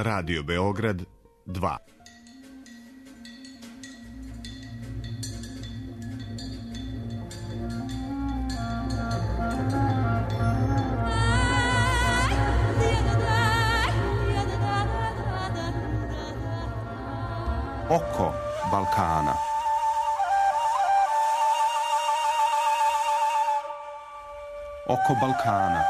Radio Beograd 2. Oko Balkana. Oko Balkana.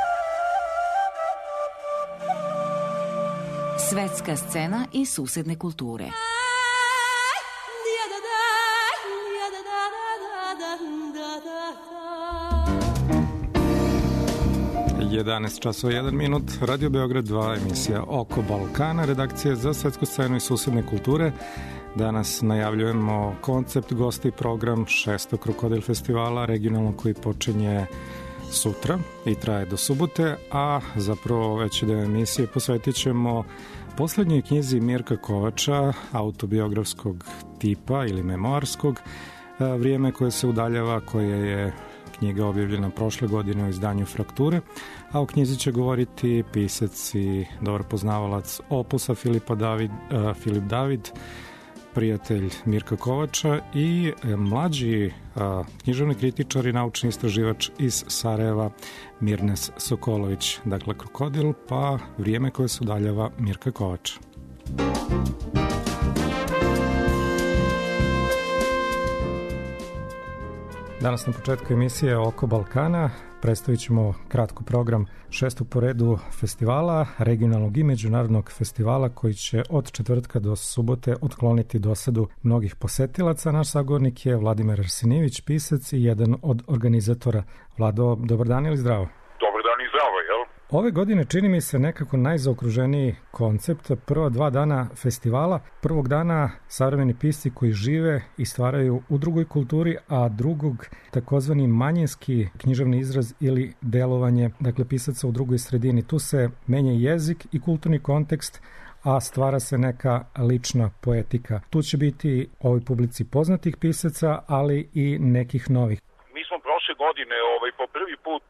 Svetska scena i susedne kulture. 11 časova 1 minut, Radio Beograd 2, emisija Oko Balkana, redakcija za svetsku scenu i susedne kulture. Danas najavljujemo koncept, gosti i program 6. Krokodil festivala regionalnog koji počinje sutra i traje do subote, a zapravo veći deo emisije posvetit ćemo poslednjoj knjizi Mirka Kovača, autobiografskog tipa ili memoarskog, Vrijeme koje se udaljava, koja je knjiga objavljena prošle godine u izdanju Frakture, a o knjizi će govoriti pisac i dobar poznavalac opusa Filip David, prijatelj Mirka Kovača, i mlađi književni kritičar i naučni istraživač iz Sarajeva Mirnes Sokolović. Dakle, Krokodil, pa Vrijeme koje se udaljava Mirka Kovača. Danas na početku emisije Oko Balkana predstavit ćemo kratko program 6. po redu festivala, regionalnog i međunarodnog festivala koji će od četvrtka do subote otkloniti dosadu mnogih posetilaca. Naš sagovornik je Vladimir Arsenijević, pisac i jedan od organizatora. Vlado, dobar dan ili zdravo? Dobar dan i zdravo, jel? Ove godine čini mi se nekako najzaokruženiji koncept. Prva 2 dana festivala, prvog dana savremeni pisci koji žive i stvaraju u drugoj kulturi, a drugog takozvani manjinski književni izraz ili delovanje, dakle pisaca u drugoj sredini. Tu se menja jezik i kulturni kontekst, a stvara se neka lična poetika. Tu će biti ovoj publici poznatih pisaca, ali i nekih novih. Prošle godine po prvi put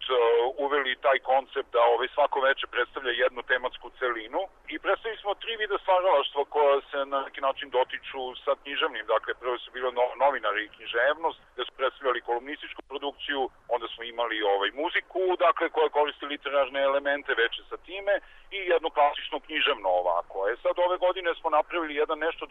uveli taj koncept da svako veče predstavlja jednu tematsku celinu i predstavili smo 3 vida stvaralaštva koja se na neki način dotiču sa književnim. Dakle, prvo su bilo novinari i književnost, gde su predstavljali kolumnističku produkciju, onda smo imali muziku, dakle, koja koristi literarne elemente veče sa time, i jednu klasičnu književno ovako. Sad ove godine smo napravili jedan nešto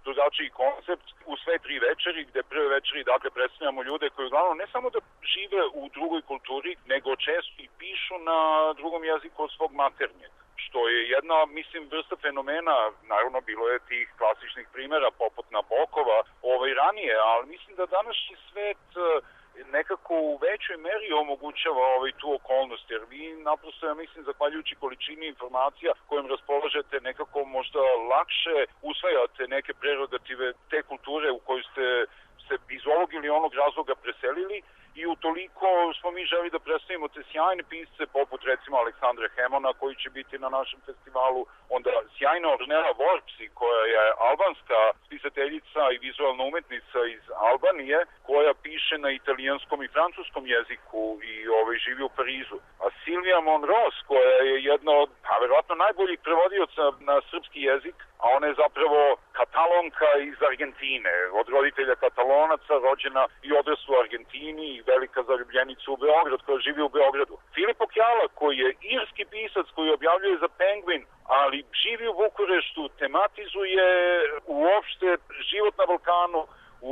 drugačiji koncept u sve 3 večeri, gde prve večeri, dakle, predstavljamo ljude koji uglavnom ne samo da žive u drugoj kulturi, nego često i pišu na drugom jeziku od svog maternjeg, što je jedna, mislim, vrsta fenomena. Naravno, bilo je tih klasičnih primjera poput Nabokova ranije, ali mislim da današnji svet nekako u većoj meri omogućava tu okolnost, jer vi naprosto, ja mislim, zahvaljujući količini informacija kojim raspolažete, nekako možda lakše usvajate neke prerogative te kulture u kojoj ste se iz ovog ili onog razloga preselili, i utoliko smo mi želi da predstavimo te sjajne pisce poput recimo Aleksandra Hemona koji će biti na našem festivalu, onda sjajna Ornella Vorpsi koja je albanska spisateljica i vizualna umetnica iz Albanije koja piše na italijanskom i francuskom jeziku i živi u Parizu. A Silvija Monros koja je jedna od verovatno najboljih prevodioca na srpski jezik, a ona je zapravo Katalonka iz Argentine, od roditelja Katalonaca, rođena i odrasla u Argentini i velika zaljubljenica u Beograd, koja živi u Beogradu. Filip Okjala, koji je irski pisac koji objavljuje za Penguin, ali živi u Bukureštu, tematizuje uopšte život na Balkanu,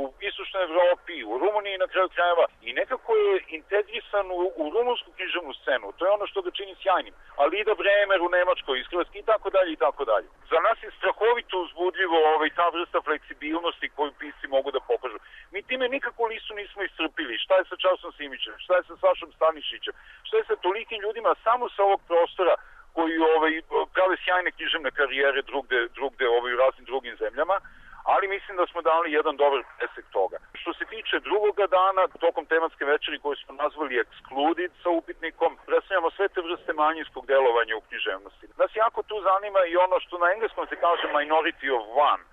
u istočnoj Evropi, u Rumuniji na kraju krajeva, i nekako je integrisan u rumunsku književnu scenu. To je ono što ga čini sjajnim. A Lida Bremer u Nemačkoj, iz Hrvatske, i tako dalje, i tako dalje. Za nas je strahovito uzbudljivo ta vrsta fleksibilnosti koju pisci mogu da pokažu. Mi time nikako listu nismo iscrpili. Šta je sa Časom Simićem? Šta je sa Sašom Stanišićem? Šta je sa tolikim ljudima samo sa ovog prostora koji prave sjajne književne karijere drugde u raznim drugim zemljama, ali mislim da smo dali jedan dobar presek toga. Što se tiče drugoga dana, tokom tematske večeri koju smo nazvali Excluded sa upitnikom, predstavljamo sve te vrste manjinskog delovanja u književnosti. Nas jako tu zanima i ono što na engleskom se kaže minority of one.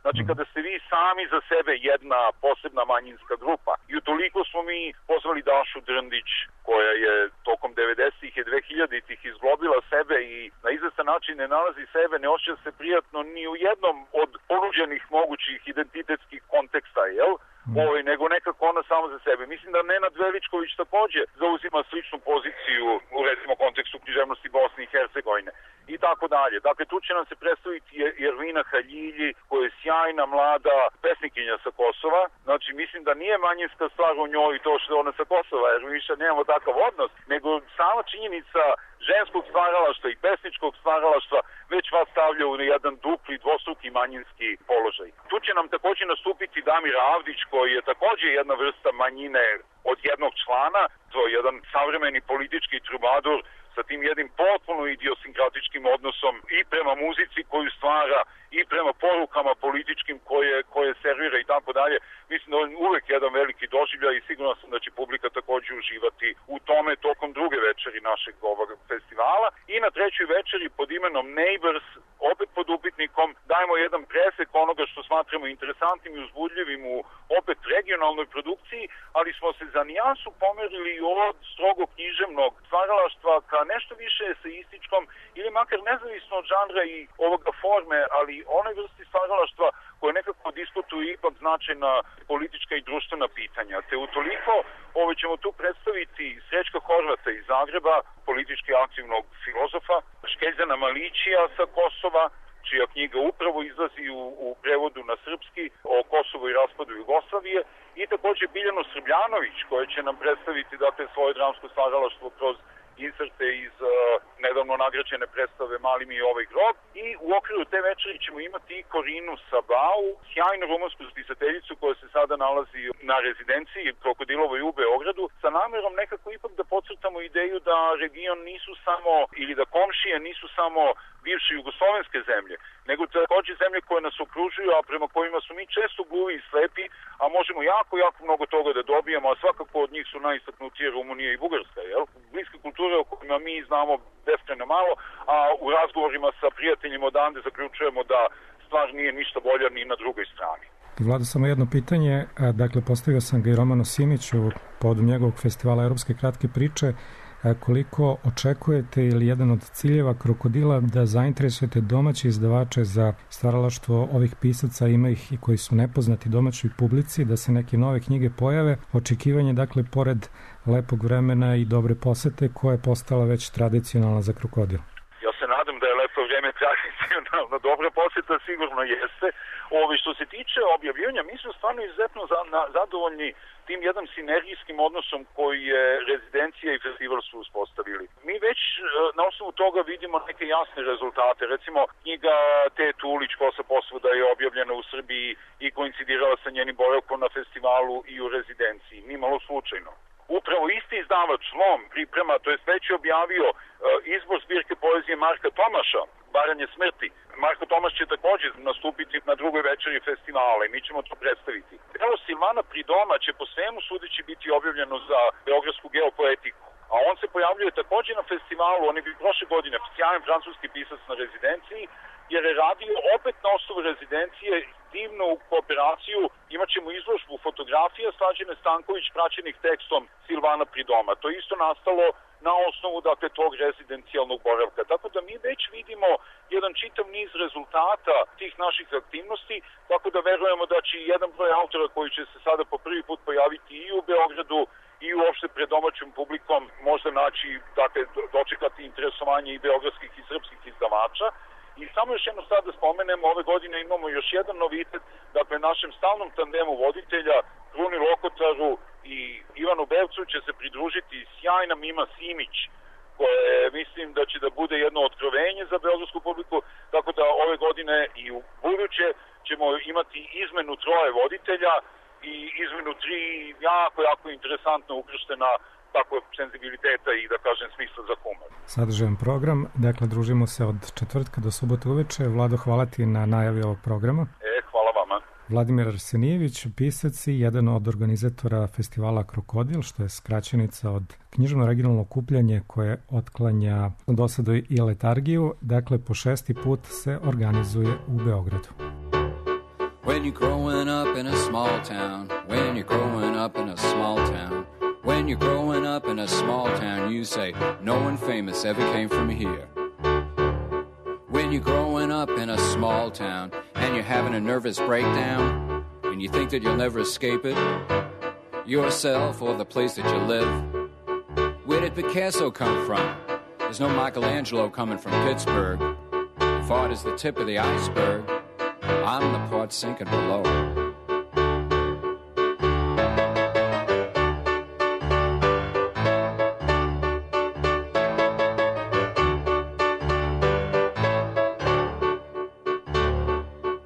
Znači kada ste vi sami za sebe jedna posebna manjinska grupa. I utoliko smo mi pozvali Dašu Drndić, koja je tokom 90-ih i 2000-ih izglobila sebe i na izvestan način ne nalazi sebe, ne osjeća se prijatno ni u jednom od ponuđenih mogućih identitetskih konteksta, jel? Nego nekako ona sama za sebe. Mislim da Nenad Veličković takođe zauzima sličnu poziciju u recimo kontekstu književnosti Bosne i Hercegovine i tako dalje. Dakle, tu će nam se predstaviti Ervina Haljilji, koja je sjajna, mlada pesnikinja sa Kosova. Znači, mislim da nije manjinska stvar u njoj to što je ona sa Kosova, jer mi više nemamo takav odnos, nego sama činjenica ženskog stvaralaštva i pesničkog stvaralaštva već vas stavlja u jedan dupli, dvostruki manjinski položaj. Tu će nam takođe nastupiti Damir Avdić, koji je takođe jedna vrsta manjine od jednog člana, to je jedan savremeni politički trubadur sa tim jednim potpuno idiosinkratičkim odnosom i prema muzici koju stvara i prema porukama političkim koje servira i tako dalje. Mislim da on uvek jedan veliki doživljaj i sigurno sam da će publika takođe uživati u tome tokom druge večeri našeg ovog festivala. I na trećoj večeri pod imenom Neighbors, opet pod upitnikom, dajemo jedan presek onoga što smatramo interesantnim i uzbudljivim u opet regionalnoj produkciji, ali smo se za nijansu pomerili od strogo književnog stvaralaštva ka nešto više eseističkom ili makar nezavisno od žanra i ovoga forme, ali onoj vrsti stvaralaštva koje nekako diskutuju ipak značajna politička i društvena pitanja. Te utoliko ćemo tu predstaviti Srećka Horvata iz Zagreba, politički aktivnog filozofa, Škeljana Malićija sa Kosova, čija knjiga upravo izlazi u prevodu na srpski o Kosovu i raspadu Jugoslavije, i takođe Biljanu Srbljanović, koja će nam predstaviti svoje dramsko stvaralaštvo kroz inserte iz nedavno nagrađene predstave Mali mi ovaj grob. I u okviru te večeri ćemo imati i Korinu Sabau, sjajnu rumunsku spisateljicu koja se sada nalazi na rezidenciji Krokodilovoj u Beogradu, sa namerom nekako ipak da podcrtamo ideju da region nisu samo, ili da komšije nisu samo bivše jugoslovenske zemlje, nego takođe zemlje koje nas okružuju, a prema kojima su mi često gluvi i slepi, a možemo jako mnogo toga da dobijemo, a svakako od njih su najistaknutije Rumunija i Bugarska, jel? Bliske kulture o kojima mi znamo beskrajno malo, a u razgovorima sa prijateljima odande zaključujemo da stvar nije ništa bolja ni na drugoj strani. Vlada, samo jedno pitanje, dakle postavio sam ga i Romanu Simiću povodom njegovog festivala Evropske kratke priče. Koliko očekujete ili jedan od ciljeva Krokodila da zainteresujete domaće izdavače za stvaralaštvo ovih pisaca, ima ih i koji su nepoznati domaćoj publici, da se neke nove knjige pojave, očekivanje dakle pored lepog vremena i dobre posete koja je postala već tradicionalna za Krokodil? Ja se nadam da je lepo vreme tradicionalno, dobra poseta sigurno jeste. Što se tiče objavljivanja, mi smo stvarno izuzetno zadovoljni tim jedan sinergijskim odnosom koji je rezidencija i festival su uspostavili. Mi već na osnovu toga vidimo neke jasne rezultate. Recimo, knjiga Te Tulić, Kosa posvuda, je objavljena u Srbiji i koincidirala sa njenim boravkom na festivalu i u rezidenciji. Nimalo slučajno. Upravo isti izdavač Lom priprema, to jest već je objavio izbor zbirke poezije Marka Tomaša, Baranje smrti. Marko Tomaš će takođe nastupiti na drugoj večeri festivala i mi ćemo to predstaviti. Delo Silvana Pridoma će po svemu sudeći biti objavljeno za beogradsku geopoetiku. A on se pojavljuje takođe na festivalu, on je bio prošle godine sjajan francuski pisac na rezidenciji, jer je radio opet na osnovu rezidencije divnu kooperaciju. Imaćemo izložbu fotografija Slađane Stanković praćenih tekstom Silvana Pridoma. To je isto nastalo na osnovu tog rezidencijalnog boravka. Tako da mi već vidimo jedan čitav niz rezultata tih naših aktivnosti, tako da verujemo da će jedan broj autora koji će se sada po prvi put pojaviti i u Beogradu i uopšte pred domaćom publikom možda naći, dočekati interesovanje i beogradskih i srpskih izdavača. I samo još jedno sad da spomenemo, ove godine imamo još jedan novitet, našem stalnom tandemu voditelja, Kruni Lokotaru i Ivanu Bevcu će se pridružiti sjajna Mima Simić, koje mislim da će da bude jedno otkrovenje za beogradsku publiku, tako da ove godine i u buduće ćemo imati izmenu 3 voditelja i izmenu 3 jako interesantno ukrštena senzibiliteta i smisla za humor. Sadržajan program, družimo se od četvrtka do subote uveče. Vlado, hvala ti na najavi ovog programa. Hvala vama. Vladimir Arsenijević, pisac i jedan od organizatora festivala Krokodil, što je skraćenica od književno regionalno okupljanje koje otklanja dosadu i letargiju. Po 6. put se organizuje u Beogradu. When you're growing up in a small town, when you're growing up in a small town, when you're growing up in a small town, you say, no one famous ever came from here. When you're growing up in a small town and you're having a nervous breakdown and you think that you'll never escape it, yourself or the place that you live, where did Picasso come from? There's no Michelangelo coming from Pittsburgh. If art is the tip of the iceberg, I'm the part sinking below.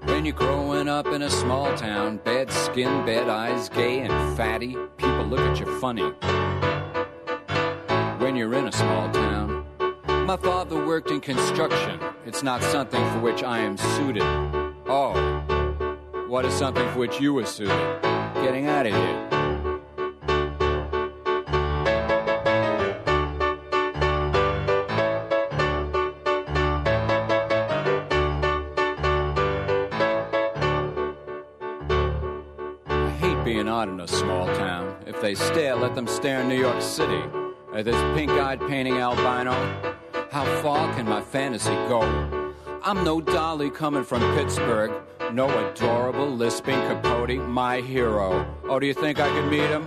When you're growing up in a small town, bad skin, bad eyes, gay and fatty, people look at you funny. When you're in a small town, my father worked in construction. It's not something for which I am suited. Oh, what is something for which you were suited? Getting out of here. I hate being odd in a small town. If they stare, let them stare in New York City. This pink-eyed painting albino, how far can my fantasy go? I'm no dolly coming from Pittsburgh, no adorable lisping Capote, my hero. Oh, do you think I could meet him?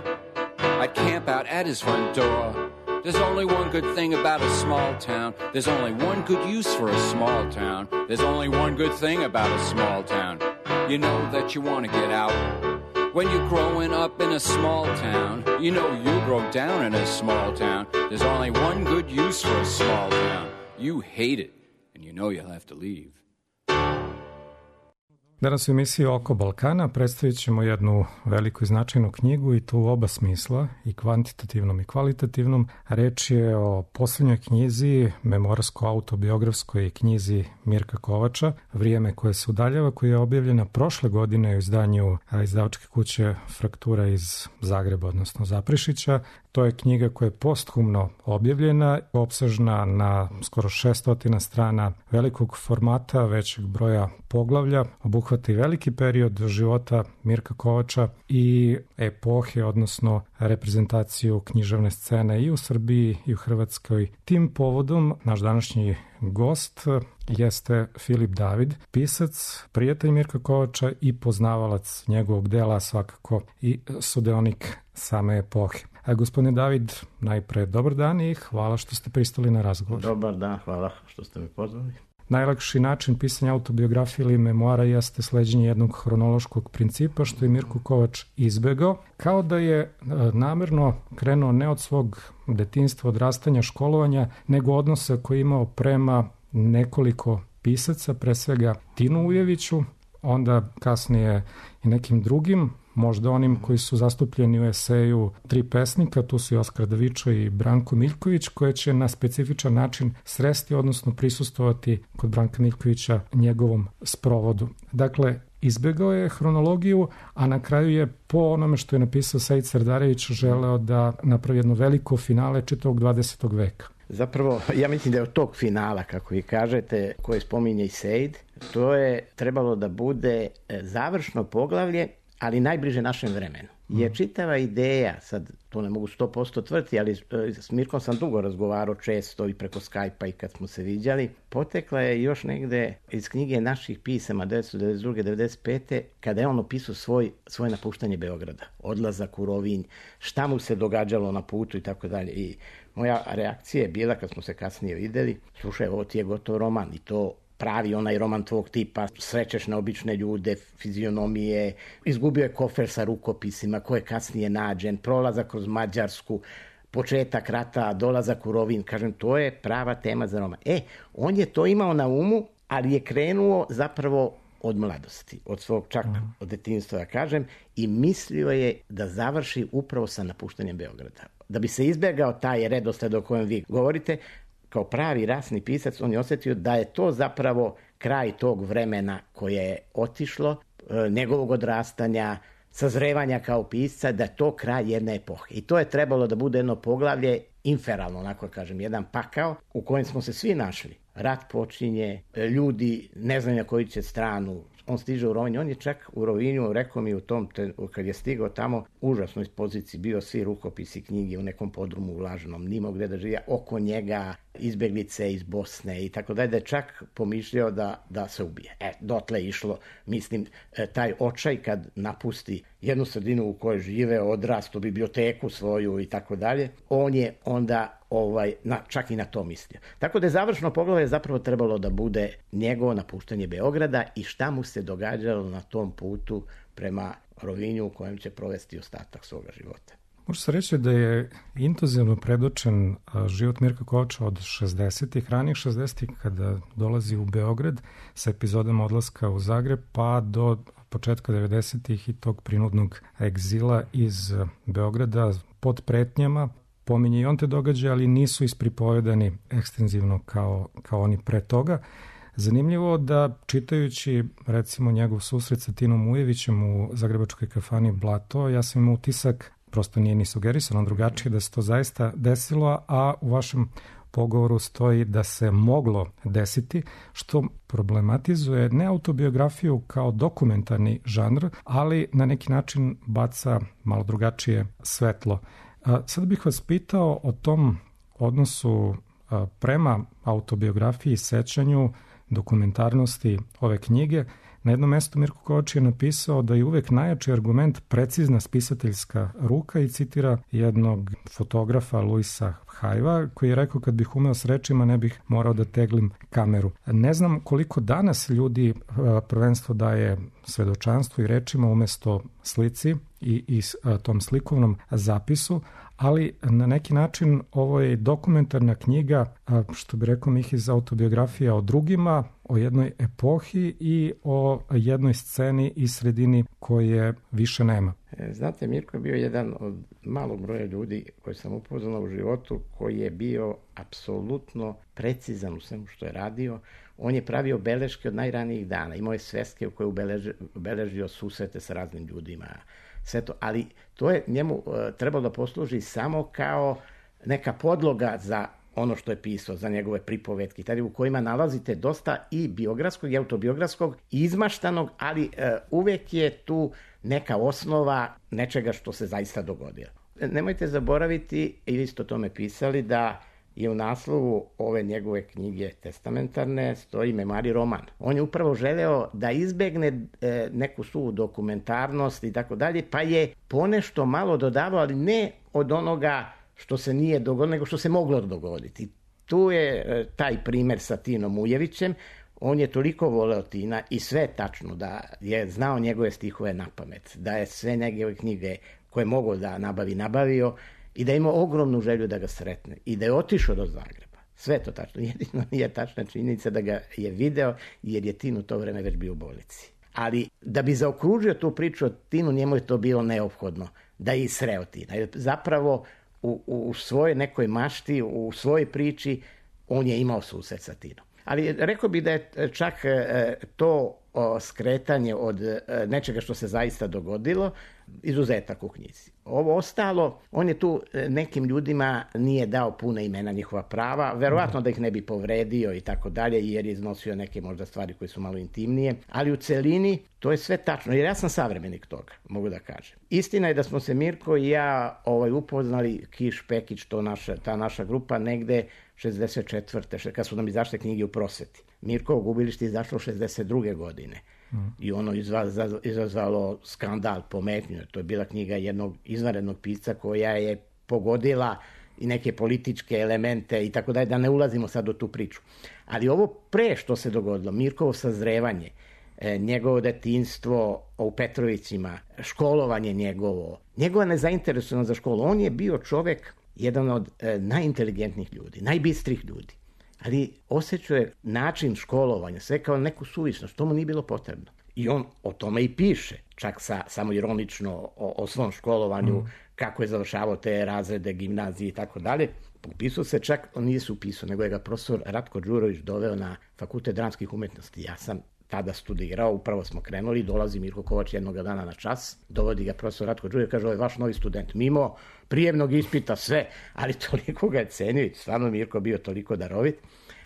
I'd camp out at his front door. There's only one good thing about a small town. There's only one good use for a small town. There's only one good thing about a small town. You know that you want to get out. When you're growing up in a small town, you know you grow down in a small town. There's only one good use for a small town. You hate it, and you know you'll have to leave. Danas u emisiji Oko Balkana predstavit ćemo jednu veliku i značajnu knjigu i to u oba smisla, i kvantitativnom i kvalitativnom. Reč je o poslednjoj knjizi, memorsko-autobiografskoj knjizi Mirka Kovača, Vrijeme koje se udaljava, koja je objavljena prošle godine u izdanju izdavačke kuće Fraktura iz Zagreba, odnosno Zaprešića. To je knjiga koja je posthumno objavljena, opsežna na skoro 600 strana, velikog formata, većeg broja poglavlja, obuhvata i veliki period života Mirka Kovača i epohe, odnosno reprezentaciju književne scene i u Srbiji i u Hrvatskoj. Tim povodom naš današnji gost jeste Filip David, pisac, prijatelj Mirka Kovača i poznavalac njegovog dela, svakako i sudeonik same epohe. Gospodine David, najpre dobar dan i hvala što ste pristali na razgovor. Dobar dan, hvala što ste me pozvali. Najlakši način pisanja autobiografije ili memoara jeste sleđenje jednog hronološkog principa, što je Mirko Kovač izbegao, kao da je namerno krenuo ne od svog detinjstva, odrastanja, školovanja, nego odnosa koji je imao prema nekoliko pisaca, pre svega Tinu Ujeviću, onda kasnije i nekim drugim, možda onim koji su zastupljeni u eseju Tri pesnika, tu su i Oskar Davičo i Branko Miljković, koje će na specifičan način sresti, odnosno prisustovati kod Branka Miljkovića njegovom sprovodu. Dakle, izbegao je hronologiju, a na kraju je po onome što je napisao Sejid Sardarević želeo da napravi jedno veliko finale čitavog 20. veka. Zapravo, ja mislim da je od tog finala, kako vi kažete, koje spominje i Sejid, to je trebalo da bude završno poglavlje, ali najbliže našem vremenu. Jer čitava ideja, sad to ne mogu 100% tvrditi, ali s Mirkom sam dugo razgovarao često i preko Skype-a i kad smo se viđali, potekla je još negde iz knjige naših pisama 1992-1995. kada je on opisao svoje napuštanje Beograda, odlazak u Rovinj, šta mu se događalo na putu i tako dalje. I moja reakcija je bila kad smo se kasnije videli, slušaj, ovo ti je gotov roman i to pravi onaj roman tvog tipa, srećeš na obične ljude, fizionomije, izgubio je kofer sa rukopisima koje je kasnije nađen, prolazak kroz Mađarsku, početak rata, dolazak u Rovinj, kažem, to je prava tema za roman. On je to imao na umu, ali je krenuo zapravo od mladosti, od svog čak od detinjstva, ja kažem, i mislio je da završi upravo sa napuštanjem Beograda. Da bi se izbjegao taj redosled o kojem vi govorite, kao pravi rasni pisac, on je osjetio da je to zapravo kraj tog vremena koje je otišlo, njegovog odrastanja, sazrevanja kao pisca, da je to kraj jedne epohe. I to je trebalo da bude jedno poglavlje inferalno, onako kažem, jedan pakao u kojem smo se svi našli. Rat počinje, ljudi ne znaju na koju će stranu on stiže u Rovinj, on je čak u Rovinju, rekao mi kad je stigao tamo, užasnoj poziciji, bio svi rukopisi knjige u nekom podrumu ulaženom, nimao gde da živi, oko njega izbeglice iz Bosne i tako dalje, da je čak pomišljao da se ubije. Dotle je išlo, mislim, taj očaj kad napusti jednu sredinu u kojoj žive, odrastu, biblioteku svoju i tako dalje, on je onda čak i na to mislio. Tako da je završno poglavlje zapravo trebalo da bude njegovo napuštanje Beograda i šta mu se događalo na tom putu prema Rovinju u kojem će provesti ostatak svoga života. Može se reći da je intenzivno predočen život Mirka Kovača od 60-ih, ranijih 60-ih kada dolazi u Beograd sa epizodama odlaska u Zagreb pa do početka 90-ih i tog prinudnog egzila iz Beograda pod pretnjama. Pominje i on te događaje, ali nisu ispripovedani ekstenzivno kao oni pre toga. Zanimljivo da čitajući recimo njegov susret sa Tinom Ujevićem u zagrebačkoj kafani Blato, ja sam imao utisak, prosto nije ni sugerisano drugačije, da se to zaista desilo, a u vašem pogovoru stoji da se moglo desiti, što problematizuje ne autobiografiju kao dokumentarni žanr, ali na neki način baca malo drugačije svetlo. Sad bih vas pitao o tom odnosu prema autobiografiji i sećanju dokumentarnosti ove knjige. Na jednom mestu Mirko Kovač je napisao da je uvek najjači argument precizna spisateljska ruka i citira jednog fotografa Luisa Hajva koji je rekao kad bih umeo s rečima ne bih morao da teglim kameru. Ne znam koliko danas ljudi prvenstvo daje svedočanstvu i rečima umesto slici i tom slikovnom zapisu, ali na neki način ovo je dokumentarna knjiga, što bi rekao Mihiz, autobiografija o drugima, o jednoj epohi i o jednoj sceni i sredini koje više nema. Znate, Mirko je bio jedan od malog broja ljudi koji sam upoznao u životu, koji je bio apsolutno precizan u svemu što je radio. On je pravio beleške od najranijih dana, imao je sveske u koje obeležio susrete sa raznim ljudima, sve to, ali to je njemu trebalo da posluži samo kao neka podloga za ono što je pisao, za njegove pripovetke, tada u kojima nalazite dosta i biografskog i autobiografskog, izmaštanog, ali uvek je tu neka osnova nečega što se zaista dogodilo. Nemojte zaboraviti, i vi ste o tome pisali, da je u naslovu ove njegove knjige testamentarne stoji Memari roman. On je upravo želeo da izbegne neku suvu dokumentarnost i tako dalje, pa je ponešto malo dodavao, ali ne od onoga što se nije dogodilo, nego što se moglo dogoditi. Tu je taj primer sa Tinom Ujevićem. On je toliko voleo Tina i sve tačno da je znao njegove stihove na pamet, da je sve njegove knjige koje je mogao da nabavio i da je imao ogromnu želju da ga sretne i da je otišao do Zagreba. Sve to tačno. Jedino nije tačna činjenica da ga je video jer je Tin u to vreme već bio u bolnici. Ali da bi zaokružio tu priču o Tinu, njemu je to bilo neophodno da je sreo Tina. Jer zapravo u svojoj nekoj mašti, u svojoj priči, on je imao susret sa Tinom. Ali rekao bi da je čak to skretanje od nečega što se zaista dogodilo, izuzetak u knjizi. Ovo ostalo, on je tu nekim ljudima nije dao puna imena, njihova prava, verovatno da ih ne bi povredio i tako dalje, jer je iznosio neke možda stvari koje su malo intimnije, ali u celini to je sve tačno, jer ja sam savremenik toga, mogu da kažem. Istina je da smo se Mirko i ja upoznali Kiš Pekić, ta naša grupa, negde 64. kad su nam izašle knjige u prosveti. Mirkovo gubilište je izašlo 62. godine. I ono izazvalo skandal, pometnju. To je bila knjiga jednog izvanrednog pisca koja je pogodila i neke političke elemente i tako dalje, da ne ulazimo sad u tu priču. Ali ovo pre što se dogodilo, Mirkovo sazrevanje, njegovo detinjstvo u Petrovićima, školovanje njegovo, njegova nezainteresovanost za školu. On je bio čovek, jedan od najinteligentnijih ljudi, najbistrih ljudi. Ali osjećao je način školovanja, sve kao neku suvišnost, to mu nije bilo potrebno. I on o tome i piše, čak samo ironično o svom školovanju, kako je završavao te razrede, gimnazije i tako dalje. Upisao se čak, on nije se upisao, nego je ga profesor Ratko Đurović doveo na Fakultet dramskih umetnosti. Ja sam tada studirao, upravo smo krenuli, dolazi Mirko Kovač jednog dana na čas, dovodi ga profesor Ratko Đurović, kaže, ovo je vaš novi student. Mimo prijemnog ispita, sve, ali toliko ga je cenio, stvarno Mirko bio toliko darovit.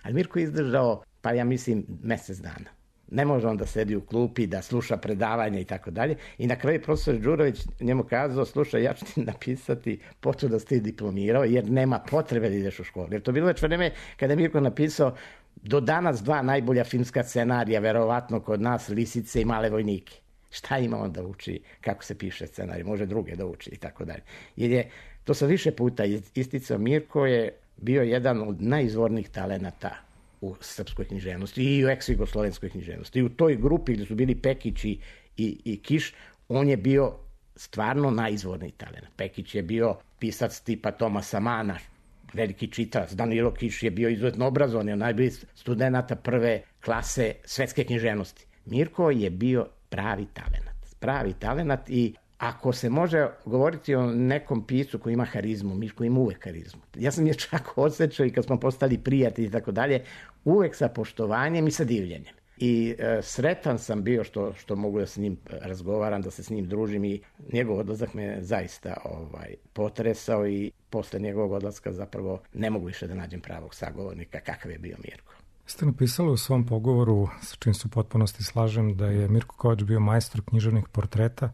Ali Mirko je izdržao, pa ja mislim, mesec dana. ne može on da sedi u klupi, da sluša predavanja i tako dalje. I na kraju profesor Đurović njemu kazao, slušaj, ja ću ti napisati potvrdu da si ti diplomirao, jer nema potrebe da ideš u školu. Jer to bilo već vreme kada je Mirko napisao do danas 2 najbolja filmska scenarija, verovatno kod nas, Lisice i Male vojnike. Šta ima on da uči, kako se piše scenarij, može druge da uči i tako dalje. Jer je, to sam više puta isticao, Mirko je bio jedan od najizvornijih talenata u srpskoj književnosti i u ex-jugoslovenskoj književnosti. I u toj grupi gde su bili Pekić i Kiš, on je bio stvarno najizvorniji talent. Pekić je bio pisac tipa Tomasa Mana, veliki čitalac. Danilo Kiš je bio izuzetno obrazovan, je najbolji studenta prve klase svetske književnosti. Mirko je bio pravi talenat i ako se može govoriti o nekom piscu koji ima harizmu, Mirko ima uvek harizmu. Ja sam je čak osjećao i kad smo postali prijatelji i tako dalje, uvek sa poštovanjem i sa divljenjem. I sretan sam bio što mogu da s njim razgovaram, da se s njim družim i njegov odlazak me zaista potresao i posle njegovog odlaska zapravo ne mogu više da nađem pravog sagovornika kakav je bio Mirko. Ste napisali u svom pogovoru, sa čim se u potpunosti slažem, da je Mirko Kovač bio majstor književnih portreta.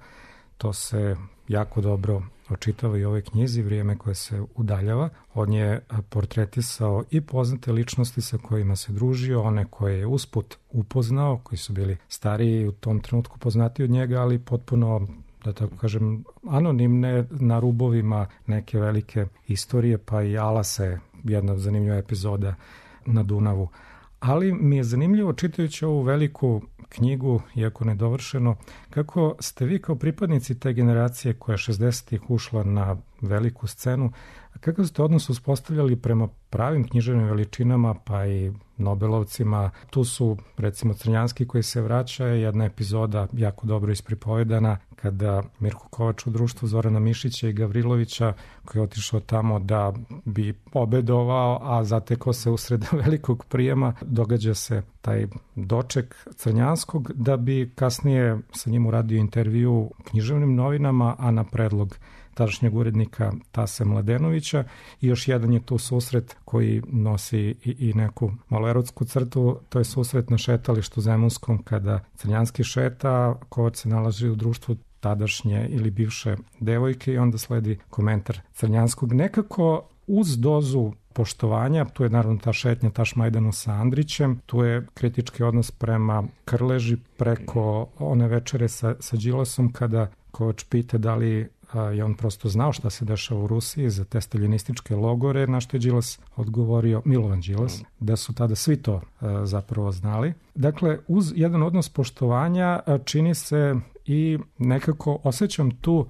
To se jako dobro očitava i u ovoj knjizi, Vrijeme koje se udaljava. On je portretisao i poznate ličnosti sa kojima se družio, one koje je usput upoznao, koji su bili stariji u tom trenutku poznati od njega, ali potpuno, da tako kažem, anonimne, na rubovima neke velike istorije, pa i Alase, jedna zanimljiva epizoda na Dunavu. Ali mi je zanimljivo, čitajući ovu veliku knjigu, iako nedovršeno, kako ste vi kao pripadnici te generacije koja je 60-ih ušla na veliku scenu, kakav ste odnos uspostavljali prema pravim književnim veličinama, pa i Nobelovcima? Tu su, recimo, Crnjanski koji se vraća, jedna epizoda jako dobro ispripovedana, kada Mirko Kovač u društvu Zorana Mišića i Gavrilovića, koji je otišao tamo da bi obedovao, a zatekao se usred velikog prijema, događa se taj doček Crnjanskog, da bi kasnije sa njim uradio intervju u književnim novinama, a na predlog tadašnjeg urednika Tase Mladenovića. I još jedan je tu susret koji nosi i neku malo erotsku crtu, to je susret na šetalištu Zemunskom kada Crnjanski šeta, Kovač se nalazi u društvu tadašnje ili bivše devojke i onda sledi komentar Crnjanskog. Nekako uz dozu poštovanja, tu je naravno ta šetnja Tašmajdanu sa Andrićem, tu je kritički odnos prema Krleži preko one večere sa Đilasom kada Kovač pita da li je on prosto znao šta se dešava u Rusiji za te staljinističke logore, na što je Đilas odgovorio, Milovan Đilas, da su tada svi to zapravo znali. Dakle, uz jedan odnos poštovanja čini se i nekako osjećam tu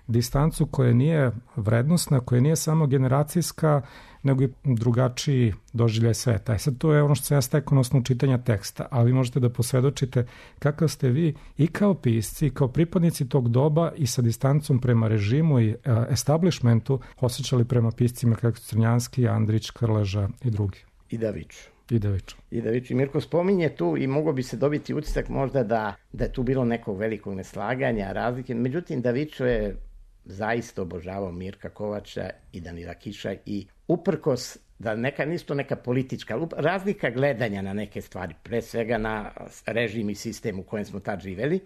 distancu koja nije vrednosna, koja nije samo generacijska, nego i drugačiji doživljaj sveta. I sad to je ono što se ja stekao na osnovu čitanja teksta, ali vi možete da posvedočite kakav ste vi i kao pisci, i kao pripadnici tog doba i sa distancom prema režimu i establishmentu osjećali prema piscima kako Crnjanski, Andrić, Krleža i drugi. I Davić. I Mirko spominje tu i mogo bi se dobiti utisak možda da je tu bilo nekog velikog neslaganja, razlike. Međutim, Davićo je zaista obožavao Mirka Kovača i Danila Kiša i uprkos da nisu to neka politička razlika gledanja na neke stvari, pre svega na režim i sistem u kojem smo tad živeli,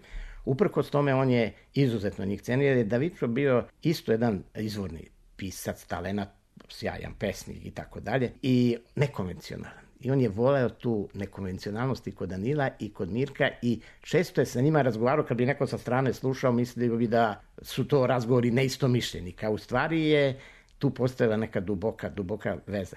uprkos tome on je izuzetno njih cenio, jer je Davićo bio isto jedan izvorni pisac, talenat, sjajan pesnik i tako dalje i nekonvencionalan. I on je voleo tu nekonvencionalnost i kod Danila i kod Mirka i često je sa njima razgovarao, kad bi neko sa strane slušao, mislio bi da su to razgovori neistomišljenika. U stvari je tu postojala neka duboka veza.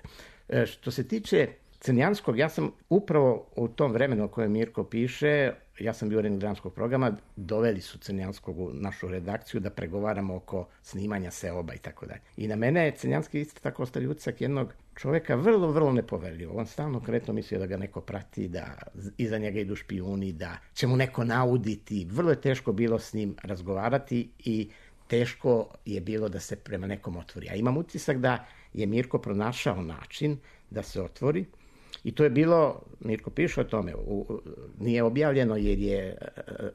Što se tiče Crnjanskog, ja sam upravo u tom vremenu o kojem Mirko piše, ja sam bio urednik dramskog programa, doveli su Crnjanskog u našu redakciju da pregovaramo oko snimanja Seoba i tako dalje. I na mene je Crnjanski isto tako ostavio utisak jednog čoveka vrlo, vrlo nepoverljivo. On stalno konkretno mislio da ga neko prati, da iza njega idu špijuni, da će mu neko nauditi. Vrlo je teško bilo s njim razgovarati i teško je bilo da se prema nekom otvori. A imam utisak da je Mirko pronašao način da se otvori. I to je bilo, Mirko piše o tome, nije objavljeno jer je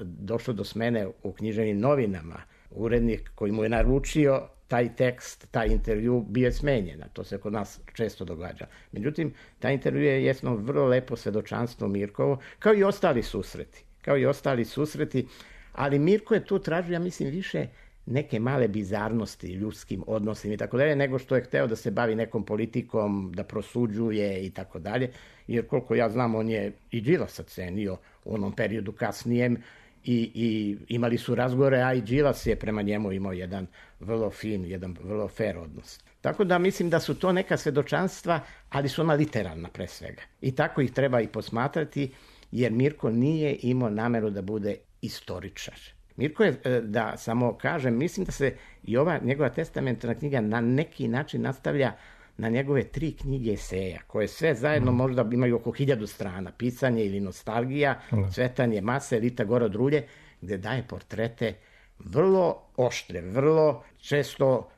došlo do smene u književnim novinama. Urednik koji mu je naručio taj tekst, taj intervju bio je smenjen, to se kod nas često događa. Međutim, taj intervju je jedno vrlo lepo svedočanstvo Mirkovo, kao i ostali susreti, ali Mirko je tu tražio, ja mislim, više neke male bizarnosti ljudskim odnosima i tako dalje, nego što je hteo da se bavi nekom politikom, da prosuđuje i tako dalje, jer koliko ja znam, on je i Đilasa cenio u onom periodu kasnijem i imali su razgovore, a i Đilas je prema njemu imao jedan vrlo fin, jedan vrlo fair odnos. Tako da mislim da su to neka svedočanstva, ali su ona literalna pre svega. I tako ih treba i posmatrati, jer Mirko nije imao nameru da bude istoričar. Mirko je, da samo kažem, mislim da se i ova njegova testamentarna knjiga na neki način nastavlja na njegove 3 knjige eseja, koje sve zajedno možda imaju oko 1000 strana, Pisanje ili Nostalgija, Cvetanje mase, Rita Gora od Rulje, gde daje portrete vrlo oštre, vrlo često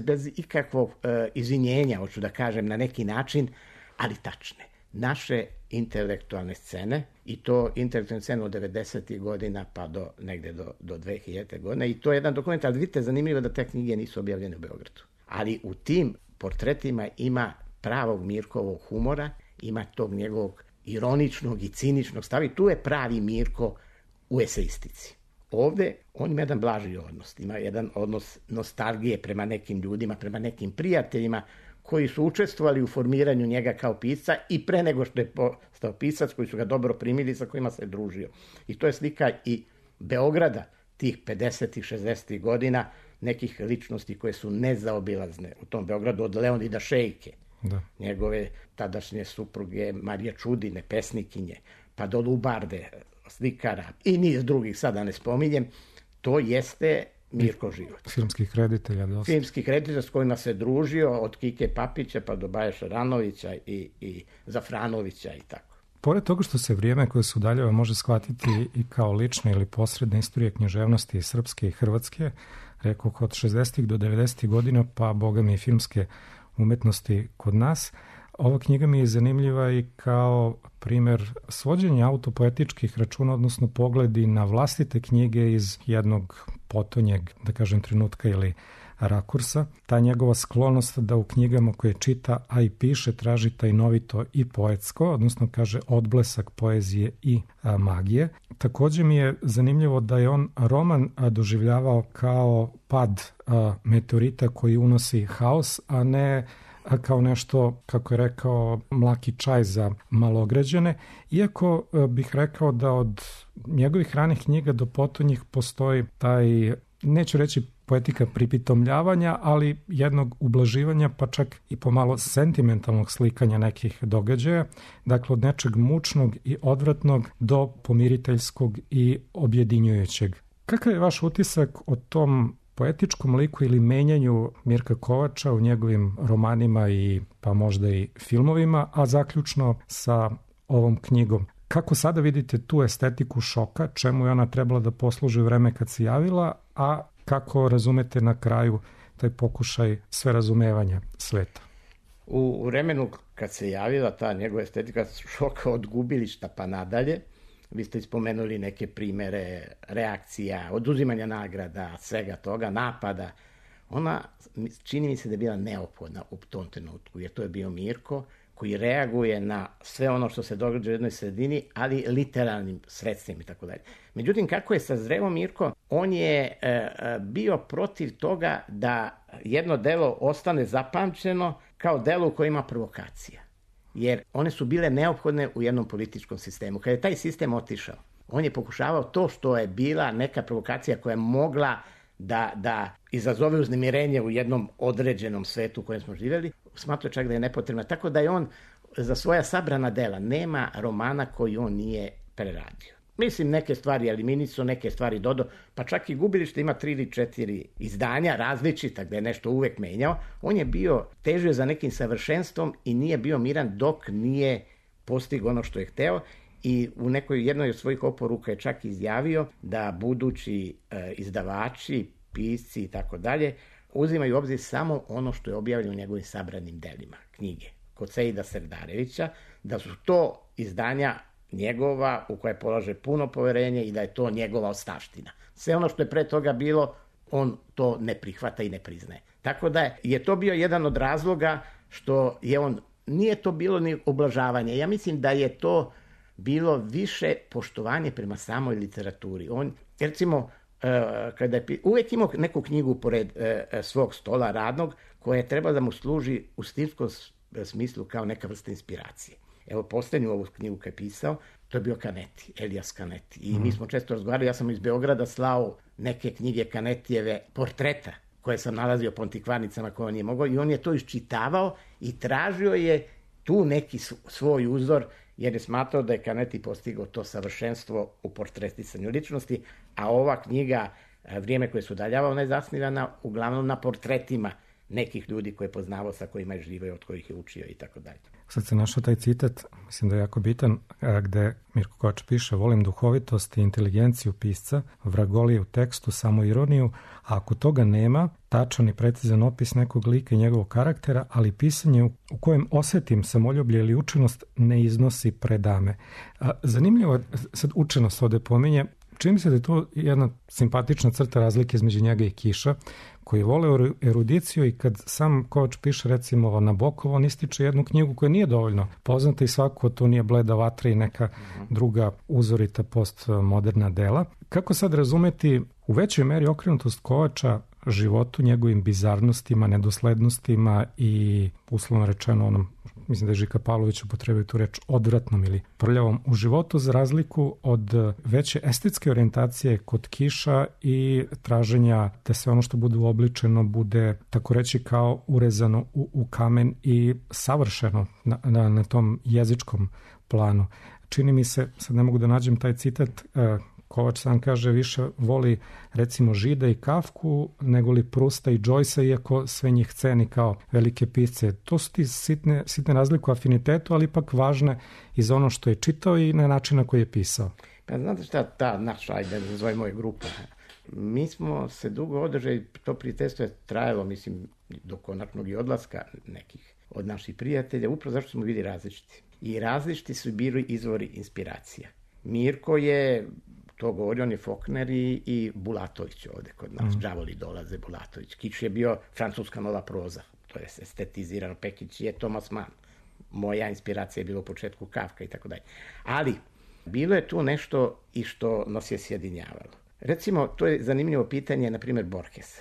bez ikakvog izvinjenja, hoću da kažem, na neki način, ali tačne. Naše intelektualne scene, i to intelektualne scene od 90. godina pa do negde do 2000. godine, i to je jedan dokument, ali vidite, zanimljivo da te knjige nisu objavljene u Beogradu. Ali u tim portretima ima pravog Mirkovog humora, ima tog njegovog ironičnog i ciničnog stava i tu je pravi Mirko u eseistici. Ovde on ima jedan blaži odnos, ima jedan odnos nostalgije prema nekim ljudima, prema nekim prijateljima koji su učestvovali u formiranju njega kao pisca i pre nego što je postao pisac, koji su ga dobro primili, sa kojima se družio. I to je slika i Beograda tih 50. 60. godina, nekih ličnosti koje su nezaobilazne u tom Beogradu, od Leonida Šejke, njegove tadašnje supruge Marije Čudine, pesnikinje, pa do Lubarde, slikara i niz drugih, sada ne spominjem. To jeste Mirko život. Filmskih reditelja. Filmskih reditelja s kojima se družio, od Kike Papića pa do Baje Šaranovića i Zafranovića i tako. Pored toga što se vrijeme koje se udaljava može shvatiti i kao lična ili posredna istorija književnosti srpske i hrvatske, rekao od 60. do 90. godina, pa boga mi i filmske umetnosti kod nas. Ova knjiga mi je zanimljiva i kao primer svođenja autopoetičkih računa, odnosno pogledi na vlastite knjige iz jednog potonjeg, da kažem, trenutka ili rakursa. Ta njegova sklonost da u knjigama koje čita, a i piše, traži tajnovito i poetsko, odnosno kaže odblesak poezije i magije. Također mi je zanimljivo da je on roman doživljavao kao pad meteorita koji unosi haos, a ne kao nešto, kako je rekao, mlaki čaj za malograđane. Iako bih rekao da od njegovih ranih knjiga do potonjih postoji taj, neću reći poetika pripitomljavanja, ali jednog ublaživanja, pa čak i pomalo sentimentalnog slikanja nekih događaja. Dakle, od nečeg mučnog i odvratnog do pomiriteljskog i objedinjujućeg. Kakav je vaš utisak o tom poetičkom liku ili menjanju Mirka Kovača u njegovim romanima i pa možda i filmovima, a zaključno sa ovom knjigom? Kako sada vidite tu estetiku šoka, čemu je ona trebala da posluži vreme kad se javila, a kako razumete na kraju taj pokušaj sve razumevanja sveta? U vremenu kad se javila ta njegova estetika šoka od Gubilišta pa nadalje, vi ste ispomenuli neke primere reakcija, oduzimanja nagrada, svega toga, napada. Ona, čini mi se da je bila neophodna u tom trenutku, jer to je bio Mirko koji reaguje na sve ono što se događa u jednoj sredini, ali literalnim sredstvima i tako dalje. Međutim, kako je sazreo Mirko, on je bio protiv toga da jedno delo ostane zapamćeno kao delo u kojem ima provokacija. Jer one su bile neophodne u jednom političkom sistemu. Kada je taj sistem otišao, on je pokušavao to što je bila neka provokacija koja je mogla da izazove uznemirenje u jednom određenom svetu u kojem smo živjeli, smatrao čak da je nepotrebna. Tako da je on za svoja sabrana dela, nema romana koji on nije preradio. Mislim, neke stvari eliminisao, neke stvari dodao, pa čak i Gubilište ima 3 ili 4 izdanja različita gde je nešto uvek menjao. On je bio težio za nekim savršenstvom i nije bio miran dok nije postigao ono što je hteo. I u jednoj od svojih oporuka je čak izjavio da budući izdavači, pisci i tako dalje uzimaju u obzir samo ono što je objavljeno u njegovim sabranim delima, knjige, kod Sejida Serdarevića, da su to izdanja njegova u koje polaže puno poverenje i da je to njegova ostavština. Sve ono što je pre toga bilo, on to ne prihvata i ne priznaje. Tako da je to bio jedan od razloga što je on, nije to bilo ni oblažavanje. Ja mislim da je to bilo više poštovanje prema samoj literaturi. On, recimo, kada je uvijek imao neku knjigu pored svog stola radnog koja je trebala da mu služi u stilskom smislu kao neka vrsta inspiracije. Evo, posljednju ovu knjigu kad je pisao, to je bio Canetti, Elias Canetti. I mi smo često razgovarali, ja sam iz Beograda slao neke knjige Canetijeve portreta koje sam nalazio po antikvarnicama koje on je mogao i on je to iščitavao i tražio je tu neki svoj uzor jer je smatrao da je Canetti postigao to savršenstvo u portretisanju ličnosti, a ova knjiga Vrijeme koje se udaljava, ona je zasnivana uglavnom na portretima nekih ljudi koje je poznavao, sa kojima je živio, od kojih je učio i tako dalje. Sad se našao taj citat, mislim da je jako bitan, gde Mirko Kovač piše: volim duhovitost i inteligenciju pisca, vragoliju tekstu, samo ironiju, a ako toga nema, tačan i precizan opis nekog lika i njegovog karaktera, ali pisanje u kojem osetim samoljublje ili učenost ne iznosi predame. Zanimljivo je, sad učenost ovde pominje, čini mi se da je to jedna simpatična crta razlike između njega i Kiša, koji vole erudiciju i kad sam Kovač piše recimo Nabokov, on ističe jednu knjigu koja nije dovoljno poznata i svako to nije Bleda vatra i neka druga uzorita postmoderna dela. Kako sad razumeti u većoj meri okrenutost Kovača životu, njegovim bizarnostima, nedoslednostima i uslovno rečeno onom, mislim da je Žika Pavlović upotrebio tu reč, odvratnom ili prljavom u životu, za razliku od veće estetske orijentacije kod Kiša i traženja da se ono što bude uobličeno bude, tako reći, kao urezano u kamen i savršeno na tom jezičkom planu. Čini mi se, sad ne mogu da nađem taj citat, Kovač sam kaže više voli recimo Žida i Kafku nego li Prusta i Joycea, iako sve njih ceni kao velike pisce. To su ti sitne razlike u afinitetu, ali ipak važne i za ono što je čitao i na način na koji je pisao. Pa znate šta, ta naša, ajde da zove moja grupa, mi smo se dugo održali, to prijateljstvo je trajalo, mislim, do konačnog i odlaska nekih od naših prijatelja, upravo zašto smo bili različiti. I različiti su bili izvori inspiracija. Mirko je, to govori, on je Faulkner i Bulatović ovde kod nas, đavoli dolaze, Bulatović. Kič je bio francuska nova proza, to je estetizirano, Pekić je Thomas Mann. Moja inspiracija je bila u početku Kafka i tako dalje. Ali, bilo je tu nešto i što nas je sjedinjavalo. Recimo, to je zanimljivo pitanje, na primjer, Borges.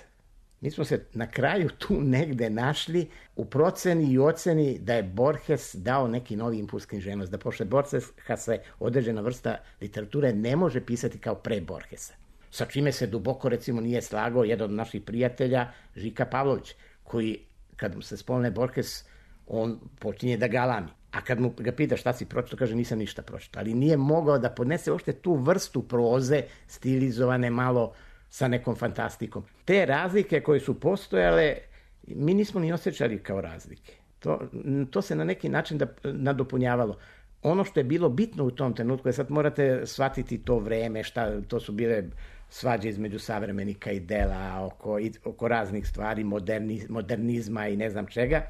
Mi smo se na kraju tu negde našli u proceni i oceni da je Borges dao neki novi impuls književnosti, da posle Borgesa se određena vrsta literature ne može pisati kao pre Borgesa. Sa čime se duboko, recimo, nije slagao jedan od naših prijatelja, Žika Pavlović, koji, kad mu se spomene Borges, on počinje da galami. A kad mu ga pita šta si pročitao, kaže nisam ništa pročitao. Ali nije mogao da podnese uopšte tu vrstu proze, stilizovane malo sa nekom fantastikom. Te razlike koje su postojale, mi nismo ni osjećali kao razlike. To se na neki način nadopunjavalo. Ono što je bilo bitno u tom trenutku, je sad morate shvatiti to vreme, to su bile svađe između savremenika i dela, oko raznih stvari, modernizma i ne znam čega.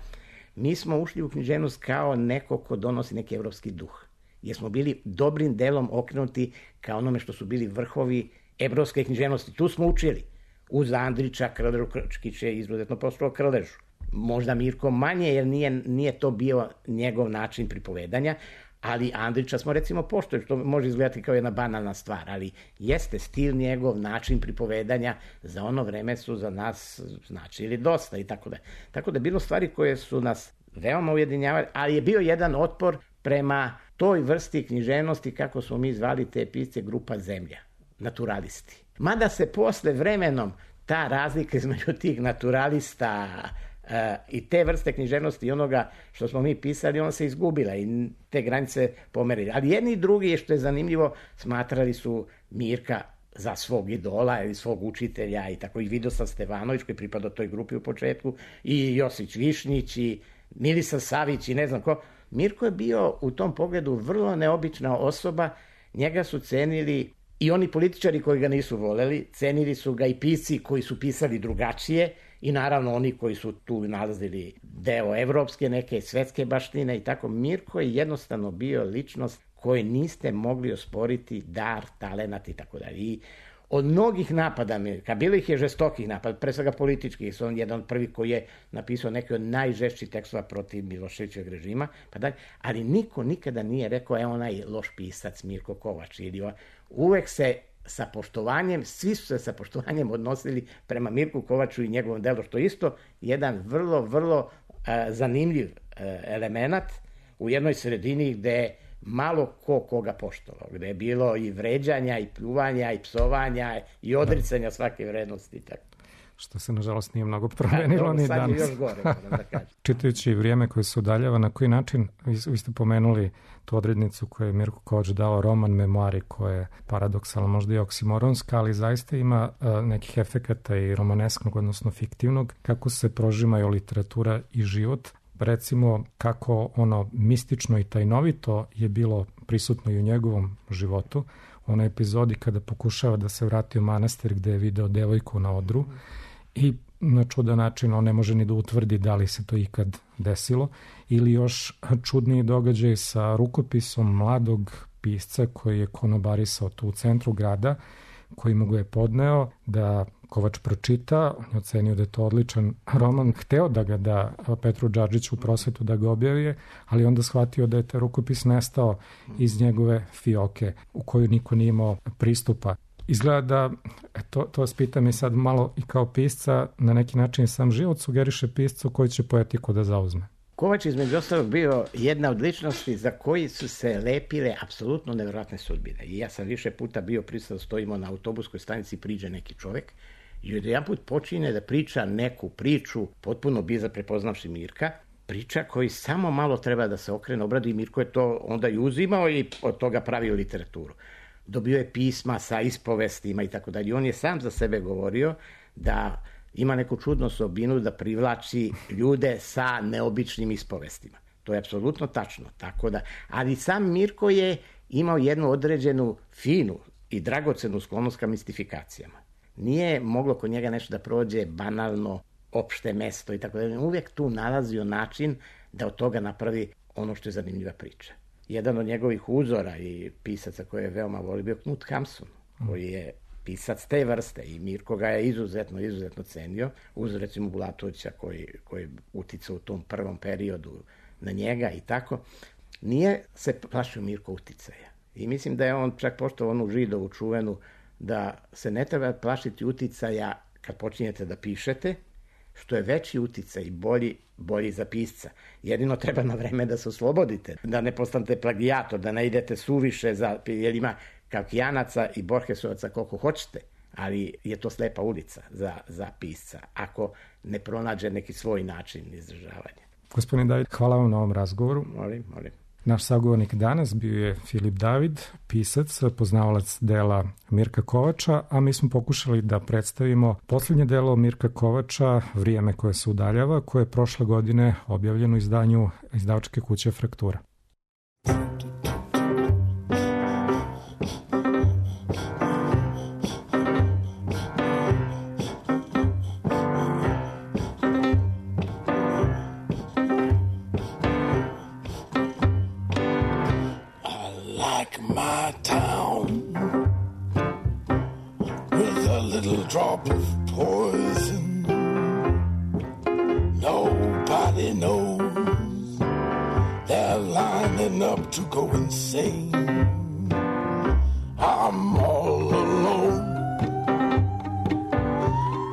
Mi smo ušli u književnost kao neko ko donosi neki evropski duh. Jer smo bili dobrim delom okrenuti kao onome što su bili vrhovi evropske književnosti. Tu smo učili. Uz Andrića, Krležu, Krčkić je izuzetno poslao Krležu. Možda Mirko manje, jer nije to bio njegov način pripovedanja, ali Andrića smo recimo poštovali, što može izgledati kao jedna banalna stvar, ali jeste stil njegov, način pripovedanja, za ono vreme su za nas značili dosta i tako da. Tako da je bilo stvari koje su nas veoma ujedinjavali, ali je bio jedan otpor prema toj vrsti književnosti, kako smo mi zvali te pisce, grupa Zemlja, naturalisti. Mada se posle vremenom ta razlika između tih naturalista i te vrste književnosti i onoga što smo mi pisali, ona se izgubila i te granice pomerili. Ali jedni i drugi, što je zanimljivo, smatrali su Mirka za svog idola ili svog učitelja i tako, i Vidoslav Stevanović koji pripada toj grupi u početku, i Josić Višnjić i Milisav Savić i ne znam ko. Mirko je bio u tom pogledu vrlo neobična osoba, njega su cenili i oni političari koji ga nisu voleli, cenili su ga i pisci koji su pisali drugačije i naravno oni koji su tu nalazili deo evropske, neke svetske baštine i tako. Mirko je jednostavno bio ličnost koju niste mogli osporiti, dar, talenat i tako dalje. I od mnogih napada Mirka, bilo ih je žestokih napada, pre svega političkih, su on jedan od prvih koji je napisao neke od najžešćih tekstova protiv Miloševićevog režima, pa dalje, ali niko nikada nije rekao, onaj loš pisac Mirko Kovač, ili uvek se sa poštovanjem, svi su se sa poštovanjem odnosili prema Mirku Kovaču i njegovom delu, što je isto jedan vrlo, vrlo zanimljiv element u jednoj sredini gde malo koga poštovao, gde je bilo i vređanja, i pljuvanja, i psovanja, i odricanja svake vrednosti. Tako. Što se, nažalost, nije mnogo promenilo ni danas. Sad je još gore, da kažem. Čitajući vrijeme koje se udaljava, na koji način, vi ste pomenuli tu odrednicu koju je Mirko Kovač dao, roman Memoari, koja je paradoksalno, možda i oksimoronska, ali zaista ima nekih efekata i romanesknog, odnosno fiktivnog, kako se prožimaju literatura i život. Recimo, kako ono mistično i tajnovito je bilo prisutno i u njegovom životu. U onoj epizodi kada pokušava da se vrati u manastir gde je video devojku na odru i na čudan način on ne može ni da utvrdi da li se to ikad desilo, ili još čudniji događaj sa rukopisom mladog pisca koji je konobarisao tu u centru grada, koji mu ga je podneo da Kovač pročita, on je ocenio da je to odličan roman, hteo da ga da Petru Džadžiću u Prosvetu da ga objavije, ali onda shvatio da je taj rukopis nestao iz njegove fioke u koju niko nije imao pristupa. Izgleda da, to vas pitam i sad malo i kao pisca, na neki način sam život sugeriše piscu koji će poetiku da zauzme. Kovač između ostalog bio jedna od ličnosti za koji su se lepile apsolutno nevjerojatne sudbine. I ja sam više puta bio prisutan, stojimo na autobuskoj stanici, priđe neki čovek i jedan put počine da priča neku priču, potpuno bizar prepoznavši Mirka, priča koji samo malo treba da se okrene, obradi i Mirko je to onda i uzimao i od toga pravio literaturu. Dobio je pisma sa ispovestima i tako dalje. On je sam za sebe govorio da ima neku čudnu osobinu da privlači ljude sa neobičnim ispovestima. To je apsolutno tačno. Tako da, ali sam Mirko je imao jednu određenu finu i dragocenu sklonost ka mistifikacijama. Nije moglo kod njega nešto da prođe banalno, opšte mesto i tako dalje. Uvijek tu nalazio način da od toga napravi ono što je zanimljiva priča. Jedan od njegovih uzora i pisaca koje je veoma volio bio Knut Hamsun, koji je pisac te vrste i Mirko ga je izuzetno cenio, uz recimo Bulatovića koji uticao u tom prvom periodu na njega i tako. Nije se plašio Mirko uticaja. I mislim da je on čak poštovao onu Židovu čuvenu da se ne treba plašiti uticaja kad počinjete da pišete, što je veći uticaj i bolji za pisca. Jedino treba na vreme da se oslobodite, da ne postanete plagijator, da ne idete suviše, jer ima Kafkijanaca i Borgesovaca koliko hoćete, ali je to slepa ulica za pisca, ako ne pronađe neki svoj način izražavanja. Gospodin David, hvala vam na ovom razgovoru. Molim. Naš sagovornik danas bio je Filip David, pisac, poznavalac dela Mirka Kovača, a mi smo pokušali da predstavimo posljednje delo Mirka Kovača, Vrijeme koje se udaljava, koje je prošle godine objavljeno u izdanju izdavačke kuće Fraktura. Drop of poison, nobody knows. They're lining up to go insane. I'm all alone.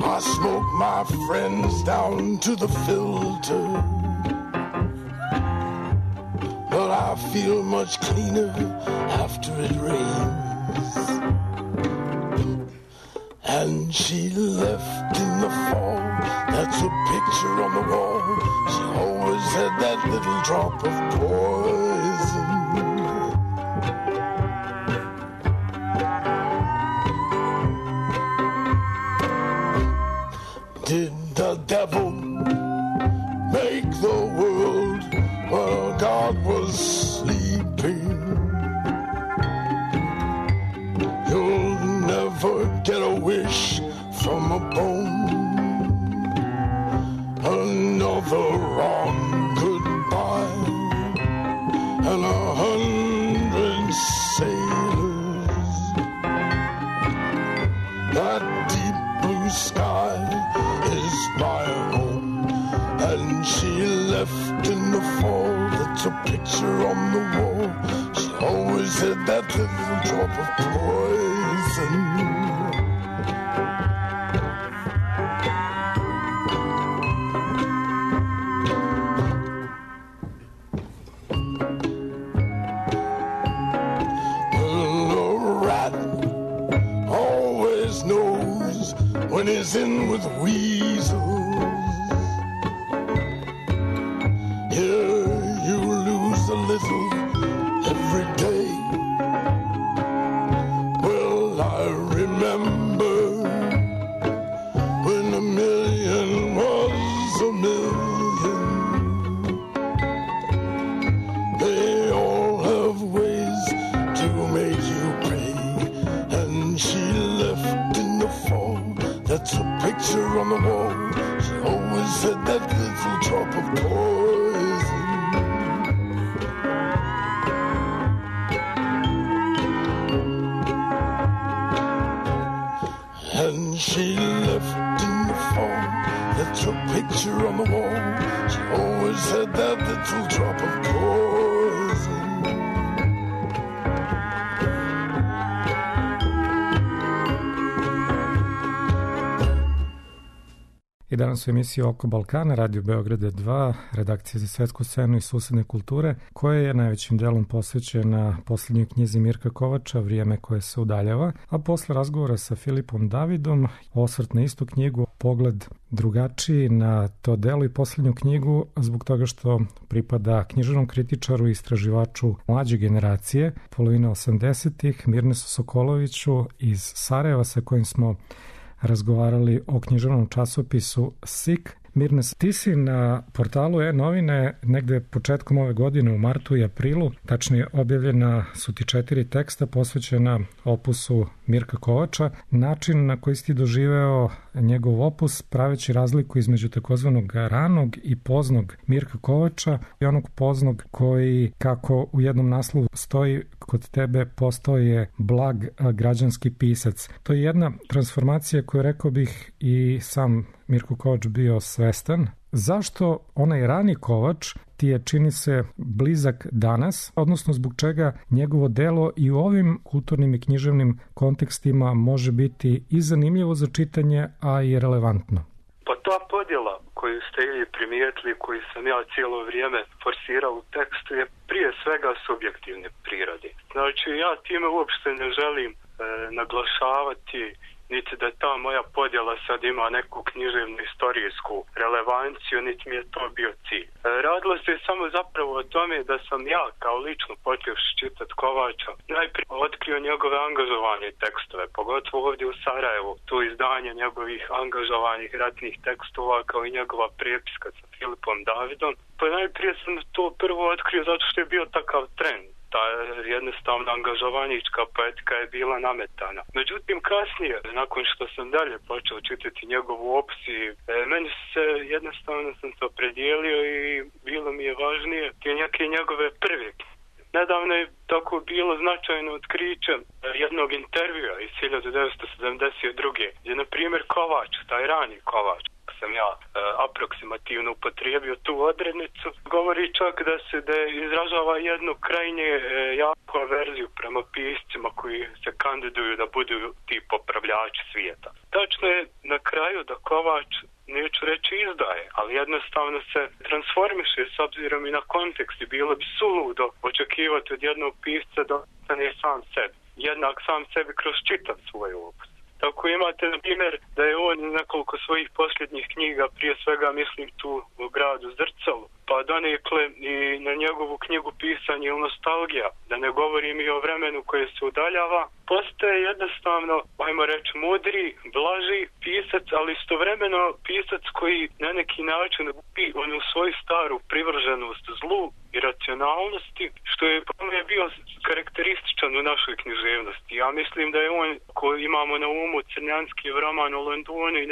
I smoke my friends down to the filter, but I feel much cleaner after it rains. And she left in the fall. That's a picture on the wall. She always had that little drop of poison. Did the devil make the world while God was sleeping? You'll never get a wish from a bone. Another wrong goodbye. That deep blue sky is my home, and she left in the fall. That's a picture on the wall. She always had that little drop of poison. When he's in with weasels, here you lose a little every day. Well, I remember when a million was a million. They all have ways to make you pay, and she left in the fall. That's a picture on the wall. She always had that little drop of poison. And she left in the fall. That's a picture on the wall. She always had that little drop of poison. I danas u emisiji Oko Balkana, Radio Beograda 2, redakcija za svetsku scenu i susedne kulture, koja je najvećim delom posvećena poslednjoj knjizi Mirka Kovača, Vrijeme koje se udaljava, a posle razgovora sa Filipom Davidom, osvrt na istu knjigu, pogled drugačiji na to delo i poslednju knjigu, zbog toga što pripada književnom kritičaru i istraživaču mlađe generacije, polovine 80-ih, Mirnesu Sokoloviću iz Sarajeva, sa kojim smo razgovarali o književnom časopisu SIK. Mirnes, ti si na portalu e-novine negde početkom ove godine u martu i aprilu, tačnije objavljena su ti 4 teksta posvećena opusu Mirka Kovača. Način na koji si ti doživeo njegov opus, praveći razliku između takozvanog ranog i poznog Mirka Kovača i onog poznog koji, kako u jednom naslovu stoji, kod tebe postao je blag građanski pisac. To je jedna transformacija koju, rekao bih, i sam Mirko Kovač bio svestan. Zašto onaj rani Kovač ti je, čini se, blizak danas, odnosno zbog čega njegovo delo i u ovim kulturnim i književnim kontekstima može biti i zanimljivo za čitanje, a i relevantno? Pa ta podjela koju ste i primijetili, koju sam ja cijelo vrijeme forsirao u tekstu, je prije svega subjektivne prirode. Znači, ja time uopšte ne želim naglašavati niti da ta moja podjela sad ima neku književnu istorijsku relevanciju, niti mi je to bio cilj. Radilo se samo zapravo o tome da sam ja kao lično počevši čitati Kovača najprije otkrio njegove angažovane tekstove, pogotovo ovdje u Sarajevu, tu izdanje njegovih angažovanih ratnih tekstova kao i njegova prepiska sa Filipom Davidom. Pa najprije sam to prvo otkrio zato što je bio takav trend. Ta jednostavna angažovanička poetika je bila nametana. Međutim, kasnije, nakon što sam dalje počeo čitati njegovu opsiju, meni se jednostavno sam se opredijelio i bilo mi je važnije neke njegove prve. Nedavno je tako bilo značajno otkriće jednog intervjua iz 1972. gdje, na primjer, Kovač, taj rani Kovač, sam ja aproksimativno upotrijebio tu odrednicu, govori čak da izražava jednu krajnje jaku averziju prema piscima koji se kandiduju da budu ti popravljači svijeta. Tačno je na kraju da Kovač, neću reći izdaje, ali jednostavno se transformiše s obzirom i na kontekst i bilo bi suludo očekivati od jednog pisca da ostane sam sebi. Jednak sam sebi kroz čitav svoj opus. Tako imate, na primjer, da je on nekoliko svojih posljednjih knjiga, prije svega mislim tu u gradu Zrcalu, pa donekle i na njegovu knjigu Pisanje ili nostalgija, da ne govorim i o vremenu koje se udaljava, postaje jednostavno, ajmo reći, mudri, blaži pisac, ali istovremeno pisac koji na neki način gubi onu svoju staru privrženost zlu i racionalnosti, što je po mene bio karakterističan u našoj književnosti. Ja mislim da je on, koji imamo na umu Crnjanski roman o Londonu i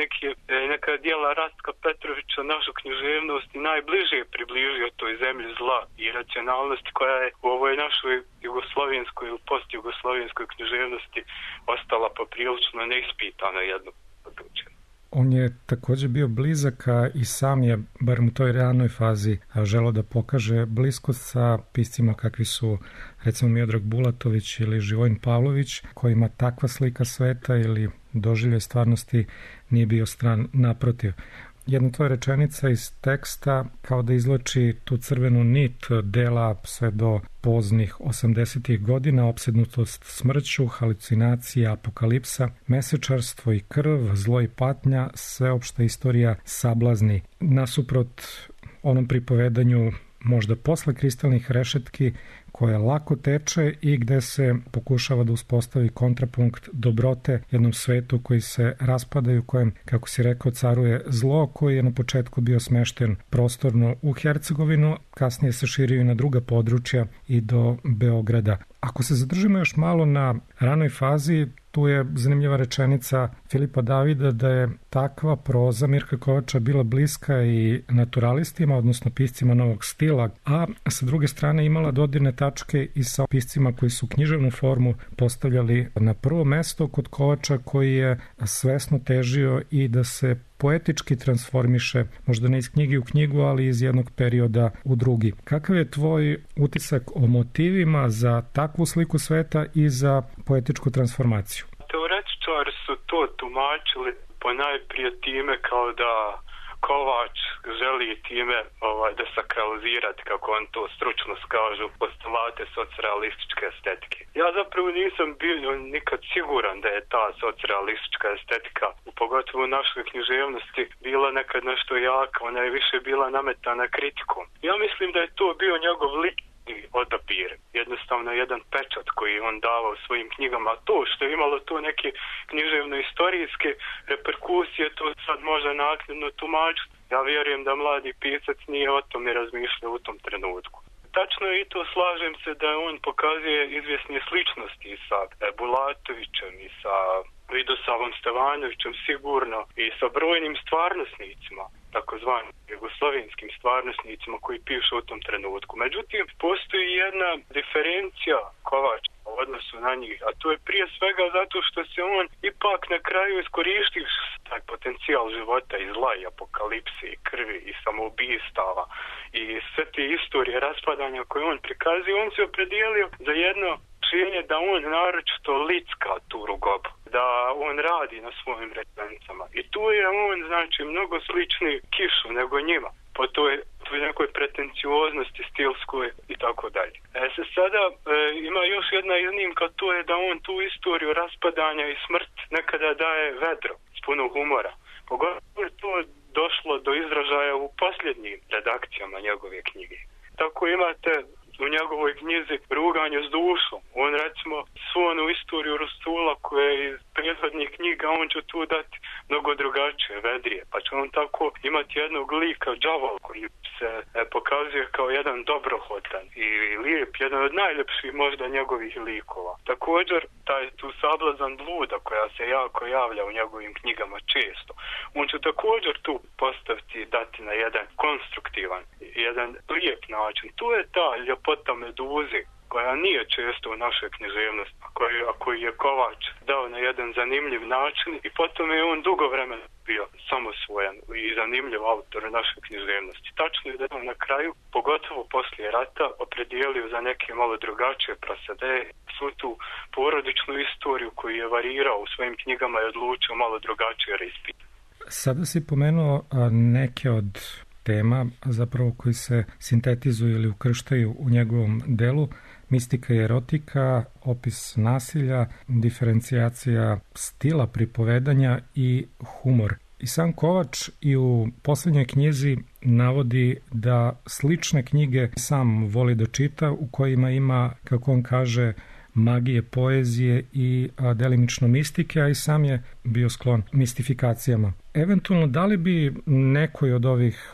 neka dijela Rastka Petrovića, našu književnost i najbliže približio toj zemlji zla i racionalnosti koja je u ovoj našoj jugoslovenskoj ili postjugoslovenskoj književnosti književnosti ostala poprilično neispitana jedno područje. On je također bio blizak, a i sam je, bar u toj ranoj fazi, želeo da pokaže bliskost sa piscima kakvi su, recimo, Miodrag Bulatović ili Živojin Pavlović, kojima takva slika sveta ili doživljaj stvarnosti nije bio stran, naprotiv. Jedna tvoja rečenica iz teksta kao da izvlači tu crvenu nit dela sve do poznih 80-ih godina, opsednutost smrću, halucinacija, apokalipsa, mesečarstvo i krv, zlo i patnja, sveopšta istorija sablazni. Nasuprot onom pripovedanju možda posle kristalnih rešetki koja lako teče i gde se pokušava da uspostavi kontrapunkt dobrote jednom svetu koji se raspada i u kojem, kako si rekao, caruje zlo, koji je na početku bio smešten prostorno u Hercegovinu, kasnije se širio i na druga područja i do Beograda. Ako se zadržimo još malo na ranoj fazi, tu je zanimljiva rečenica Filipa Davida da je takva proza Mirka Kovača bila bliska i naturalistima, odnosno piscima novog stila, a sa druge strane imala dodirne tačke i sa piscima koji su književnu formu postavljali na prvo mesto kod Kovača, koji je svesno težio i da se poetički transformiše, možda ne iz knjige u knjigu, ali iz jednog perioda u drugi. Kakav je tvoj utisak o motivima za takvu sliku sveta i za poetičku transformaciju? Teoretičari su to tumačili ponajprije time kao da Kovač želi time da sakralizirati, kako on to stručno skažu, postulate socrealističke estetike. Ja zapravo nisam bio nikad siguran da je ta socrealistička estetika, pogotovo u našoj književnosti, bila nekad nešto jaka, ona je više bila nametana kritikom. Ja mislim da je to bio njegov lični odabir, jednostavno jedan pečat koji on davao svojim knjigama. To što je imalo to neke književno-istorijske reperkusije, to sad može naknadno tumačiti. Ja vjerujem da mladi pisac nije o tome razmišljao u tom trenutku. Tačno je i to, slažem se da on pokazuje izvjesne sličnosti i sa Bulatovićem i sa Vidosavom Stevanovićem sigurno i sa brojnim stvarnosnicima, takozvanim jugoslovenskim stvarnosnicima koji pišu u tom trenutku. Međutim, postoji jedna diferencija Kovača u odnosu na njih, a to je prije svega zato što se on ipak na kraju iskorištio taj potencijal života i zla i apokalipse i krvi i samoubistava i sve te istorije raspadanja koje on prikazuje, on se opredijelio za jedno rješenje da on naročito licka tu rugobu, da on radi na svojim referencama. I tu je on, znači, mnogo slični Kišu nego njima, po toj nekoj pretencioznosti stilskoj i tako dalje. Sada ima još jedna iznimka, to je da on tu istoriju raspadanja i smrt nekada daje vedro, s puno humora. Pogotovo je to došlo do izražaja u posljednjim redakcijama njegove knjige. Tako imate u njegovoj knjizi Ruganje s dušom. On, recimo, svu onu istoriju Rustula koja je iz prethodnih knjiga, on će tu dati mnogo drugačije, vedrije. Pa će on tako imati jednog lika, đavola, koji se pokazuje kao jedan dobrohotan i lijep, jedan od najljepših možda njegovih likova. Također, taj tu sablazan bluda koja se jako javlja u njegovim knjigama često. On će također tu postaviti, dati na jedan konstruktivan, jedan lijep način. Tu je ta ljepota meduze koja nije često u našoj književnosti, koji je Kovač dao na jedan zanimljiv način i potom je on dugo vremena bio samosvojan i zanimljiv autor u našoj književnosti. Tačno je da je na kraju, pogotovo poslije rata, opredijelio za neke malo drugačije prosede, svu tu porodičnu istoriju koju je varirao u svojim knjigama i odlučio malo drugačije reispitati. Sada si pomenuo neke od tema zapravo koji se sintetizuju ili ukrštaju u njegovom delu: mistika i erotika, opis nasilja, diferencijacija stila pripovedanja i humor. I sam Kovač i u posljednjoj knjizi navodi da slične knjige sam voli da čita, u kojima ima, kako on kaže, magije, poezije i delimično mistike, a i sam je bio sklon mistifikacijama. Eventualno, da li bi nekoj od ovih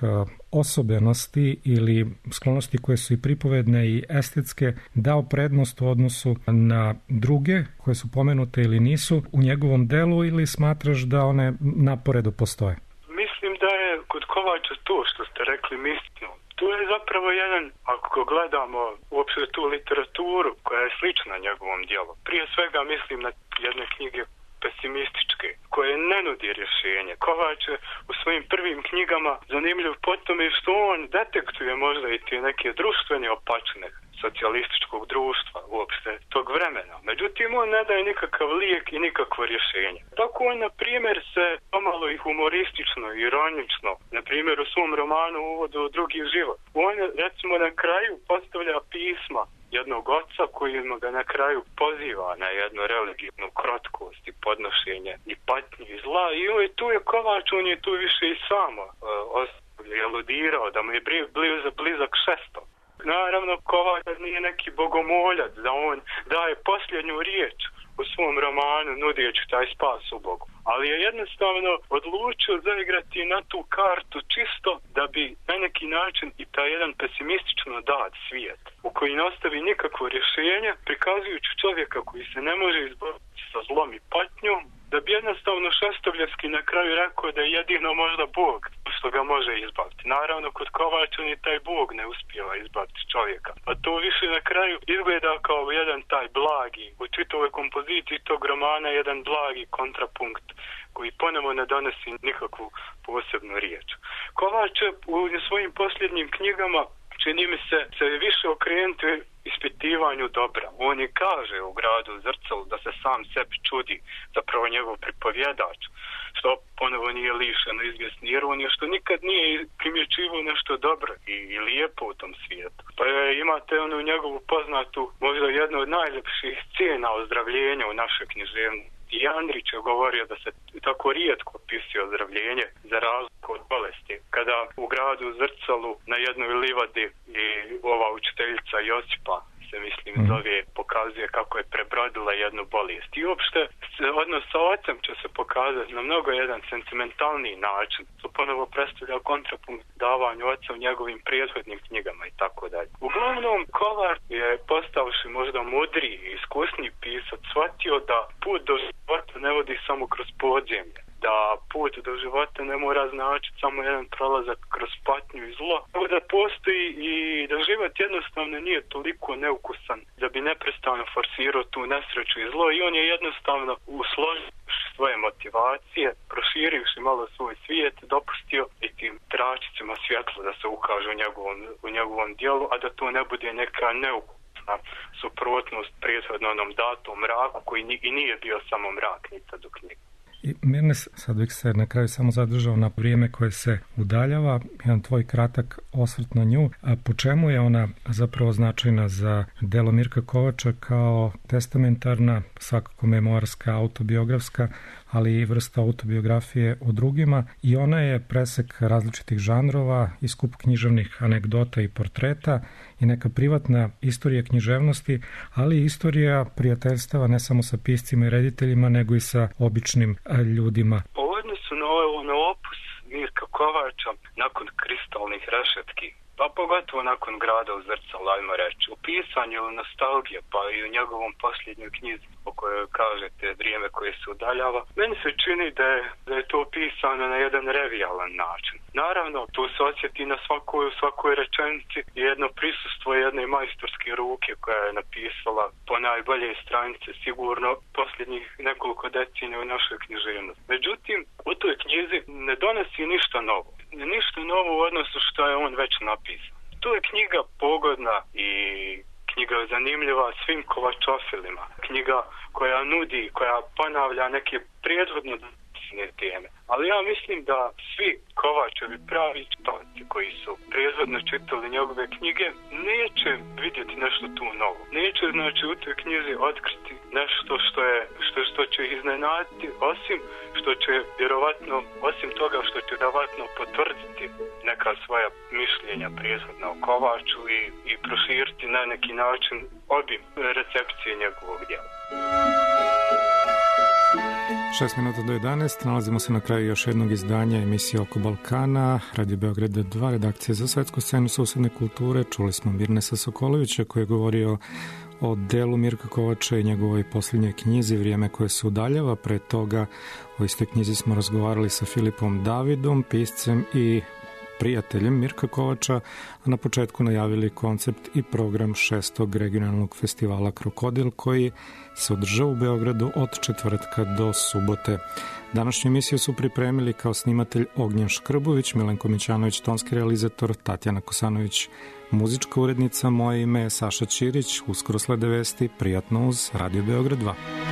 osobenosti ili sklonosti koje su i pripovedne i estetske dao prednost u odnosu na druge koje su pomenute ili nisu u njegovom delu, ili smatraš da one naporedo postoje? Mislim da je kod Kovača to što ste rekli mistično. To je zapravo zapravo jedan, ako gledamo uopšte tu literaturu koja je slična njegovom dijelu, prije svega mislim na jedne knjige pesimističke, koje ne nudi rješenje. Kovač je u svojim prvim knjigama zanimljiv po tome što on detektuje možda i te neke društvene opačine socijalističkog društva uopšte tog vremena. Međutim, on ne daje nikakav lijek i nikakvo rješenje. Tako on, na primjer, se pomalo i humoristično, ironično, na primjer u svom romanu Uvodu u drugi život. On, recimo, na kraju postavlja pisma jednog oca koji ga na kraju poziva na jednu religijnu krotkost i podnošenje i patnju i zla. I tu je Kovač, on je tu više i samo eludirao da mu je blizak šesto. Naravno, Kovač nije neki bogomoljac, da on daje posljednju riječ u svom romanu nudeći taj spas u Bogu. Ali je jednostavno odlučio zaigrati na tu kartu čisto da bi na neki način i taj jedan pesimistično dat svijet u koji ne ostavi nikakvo rješenje, prikazujući čovjeka koji se ne može izboriti sa zlom i patnjom, da bi jednostavno Šestovljevski na kraju rekao da je jedino možda Bog što ga može izbaviti. Naravno, kod Kovača ni taj Bog ne uspijeva izbaviti čovjeka. A to više na kraju izgleda kao jedan taj blagi, u čitavoj kompoziciji tog romana, jedan blagi kontrapunkt koji ponovo ne donosi nikakvu posebnu riječ. Kovač u svojim posljednjim knjigama čini mi se više okrenuti ispitivanju dobra. On i kaže u Gradu Zrcalu da se sam sebi čudi, zapravo njegov pripovjedač, što ponovo nije lišeno izvjesni ironije, što nikad nije primjećivao nešto dobro i lijepo u tom svijetu. Pa imate onu njegovu poznatu, možda jednu od najljepših scena ozdravljenja u našoj književnosti. I Andrić je govorio da se tako rijetko opisuje ozdravljenje za razliku od bolesti. Kada u Gradu Zrcalu na jednoj livadi i ova učiteljica Josipa se zove, pokazuje kako je prebrodila jednu bolest. I uopšte odnos sa ocem će se pokazati na mnogo jedan sentimentalniji način. To ponovo predstavlja kontrapunkt davanju oca u njegovim prethodnim knjigama i tako dalje. Uglavnom, Kovač je postavši možda mudriji i iskusniji pisac shvatio da put do života ne vodi samo kroz podzemlje. Da put do života ne mora značiti samo jedan prolazak kroz patnju i zlo, nego da postoji i da život jednostavno nije toliko neukusan da bi neprestano forsirao tu nesreću i zlo, i on je jednostavno usložio svoje motivacije, proširivši malo svoj svijet, dopustio i tim tračicima svjetla da se ukaže u njegovom dijelu, a da to ne bude neka neukusna suprotnost prethodno onom datom mraku koji i nije bio samo mrak ni sad u knjigu. I Mirne, sad bih se na kraju samo zadržao na vrijeme koje se udaljava, jedan tvoj kratak osvrt na nju, a po čemu je ona zapravo značajna za delo Mirka Kovača kao testamentarna, svakako memoarska, autobiografska, ali i vrsta autobiografije o drugima, i ona je presek različitih žanrova i skup književnih anegdota i portreta i neka privatna istorija književnosti, ali i istorija prijateljstava ne samo sa piscima i rediteljima, nego i sa običnim ljudima. U odnosu na opus Mirka Kovača, nakon Kristalnih rešetki, pa pogotovo nakon Grada u Zrcalu, ajmo reći, u pisanju nostalgije, pa i u njegovom posljednjoj knjizi o kojoj kažete Vrijeme koje se udaljava, meni se čini da je to pisano na jedan revijalan način. Naravno, tu se osjeti na svakoj rečenici jedno prisustvo jedne majstorske ruke koja je napisala po najbolje stranice sigurno posljednjih nekoliko decenija u našoj književnosti. Međutim, u toj knjizi ne donosi ništa novo. Ništa novo u odnosu što je on već napisao. To je knjiga pogodna i knjiga zanimljiva svim kovačofilima. Knjiga koja nudi, koja ponavlja neke prethodno teme. Ali ja mislim da svi Kovačevi pravi čitavci koji su prethodno čitali njegove knjige neće vidjeti nešto tu novo. Neće, znači, u toj knjizi otkriti nešto što će ih iznenaditi, osim toga što će vjerovatno potvrditi neka svoja mišljenja prethodna o Kovaču i proširiti na neki način obim recepcije njegovog djela. 6 minuta do 11, nalazimo se na kraju još jednog izdanja emisije Oko Balkana, Radio Beograd 2, redakcija za svetsku scenu susedne kulture. Čuli smo Mirnesa Sokolovića koji je govorio o delu Mirka Kovača i njegovoj posljednjoj knjizi Vrijeme koje se udaljava. Pre toga o istoj knjizi smo razgovarali sa Filipom Davidom, piscem i prijateljem Mirka Kovača, a na početku najavili koncept i program 6. regionalnog festivala Krokodil, koji se održava u Beogradu od četvrtka do subote. Današnju emisiju su pripremili kao snimatelj Ognjen Škrbović, Milenko Mićanović, tonski realizator, Tatjana Kosanović, muzička urednica. Moje ime je Saša Ćirić. Uskoro slede vesti. Prijatno uz Radio Beograd 2.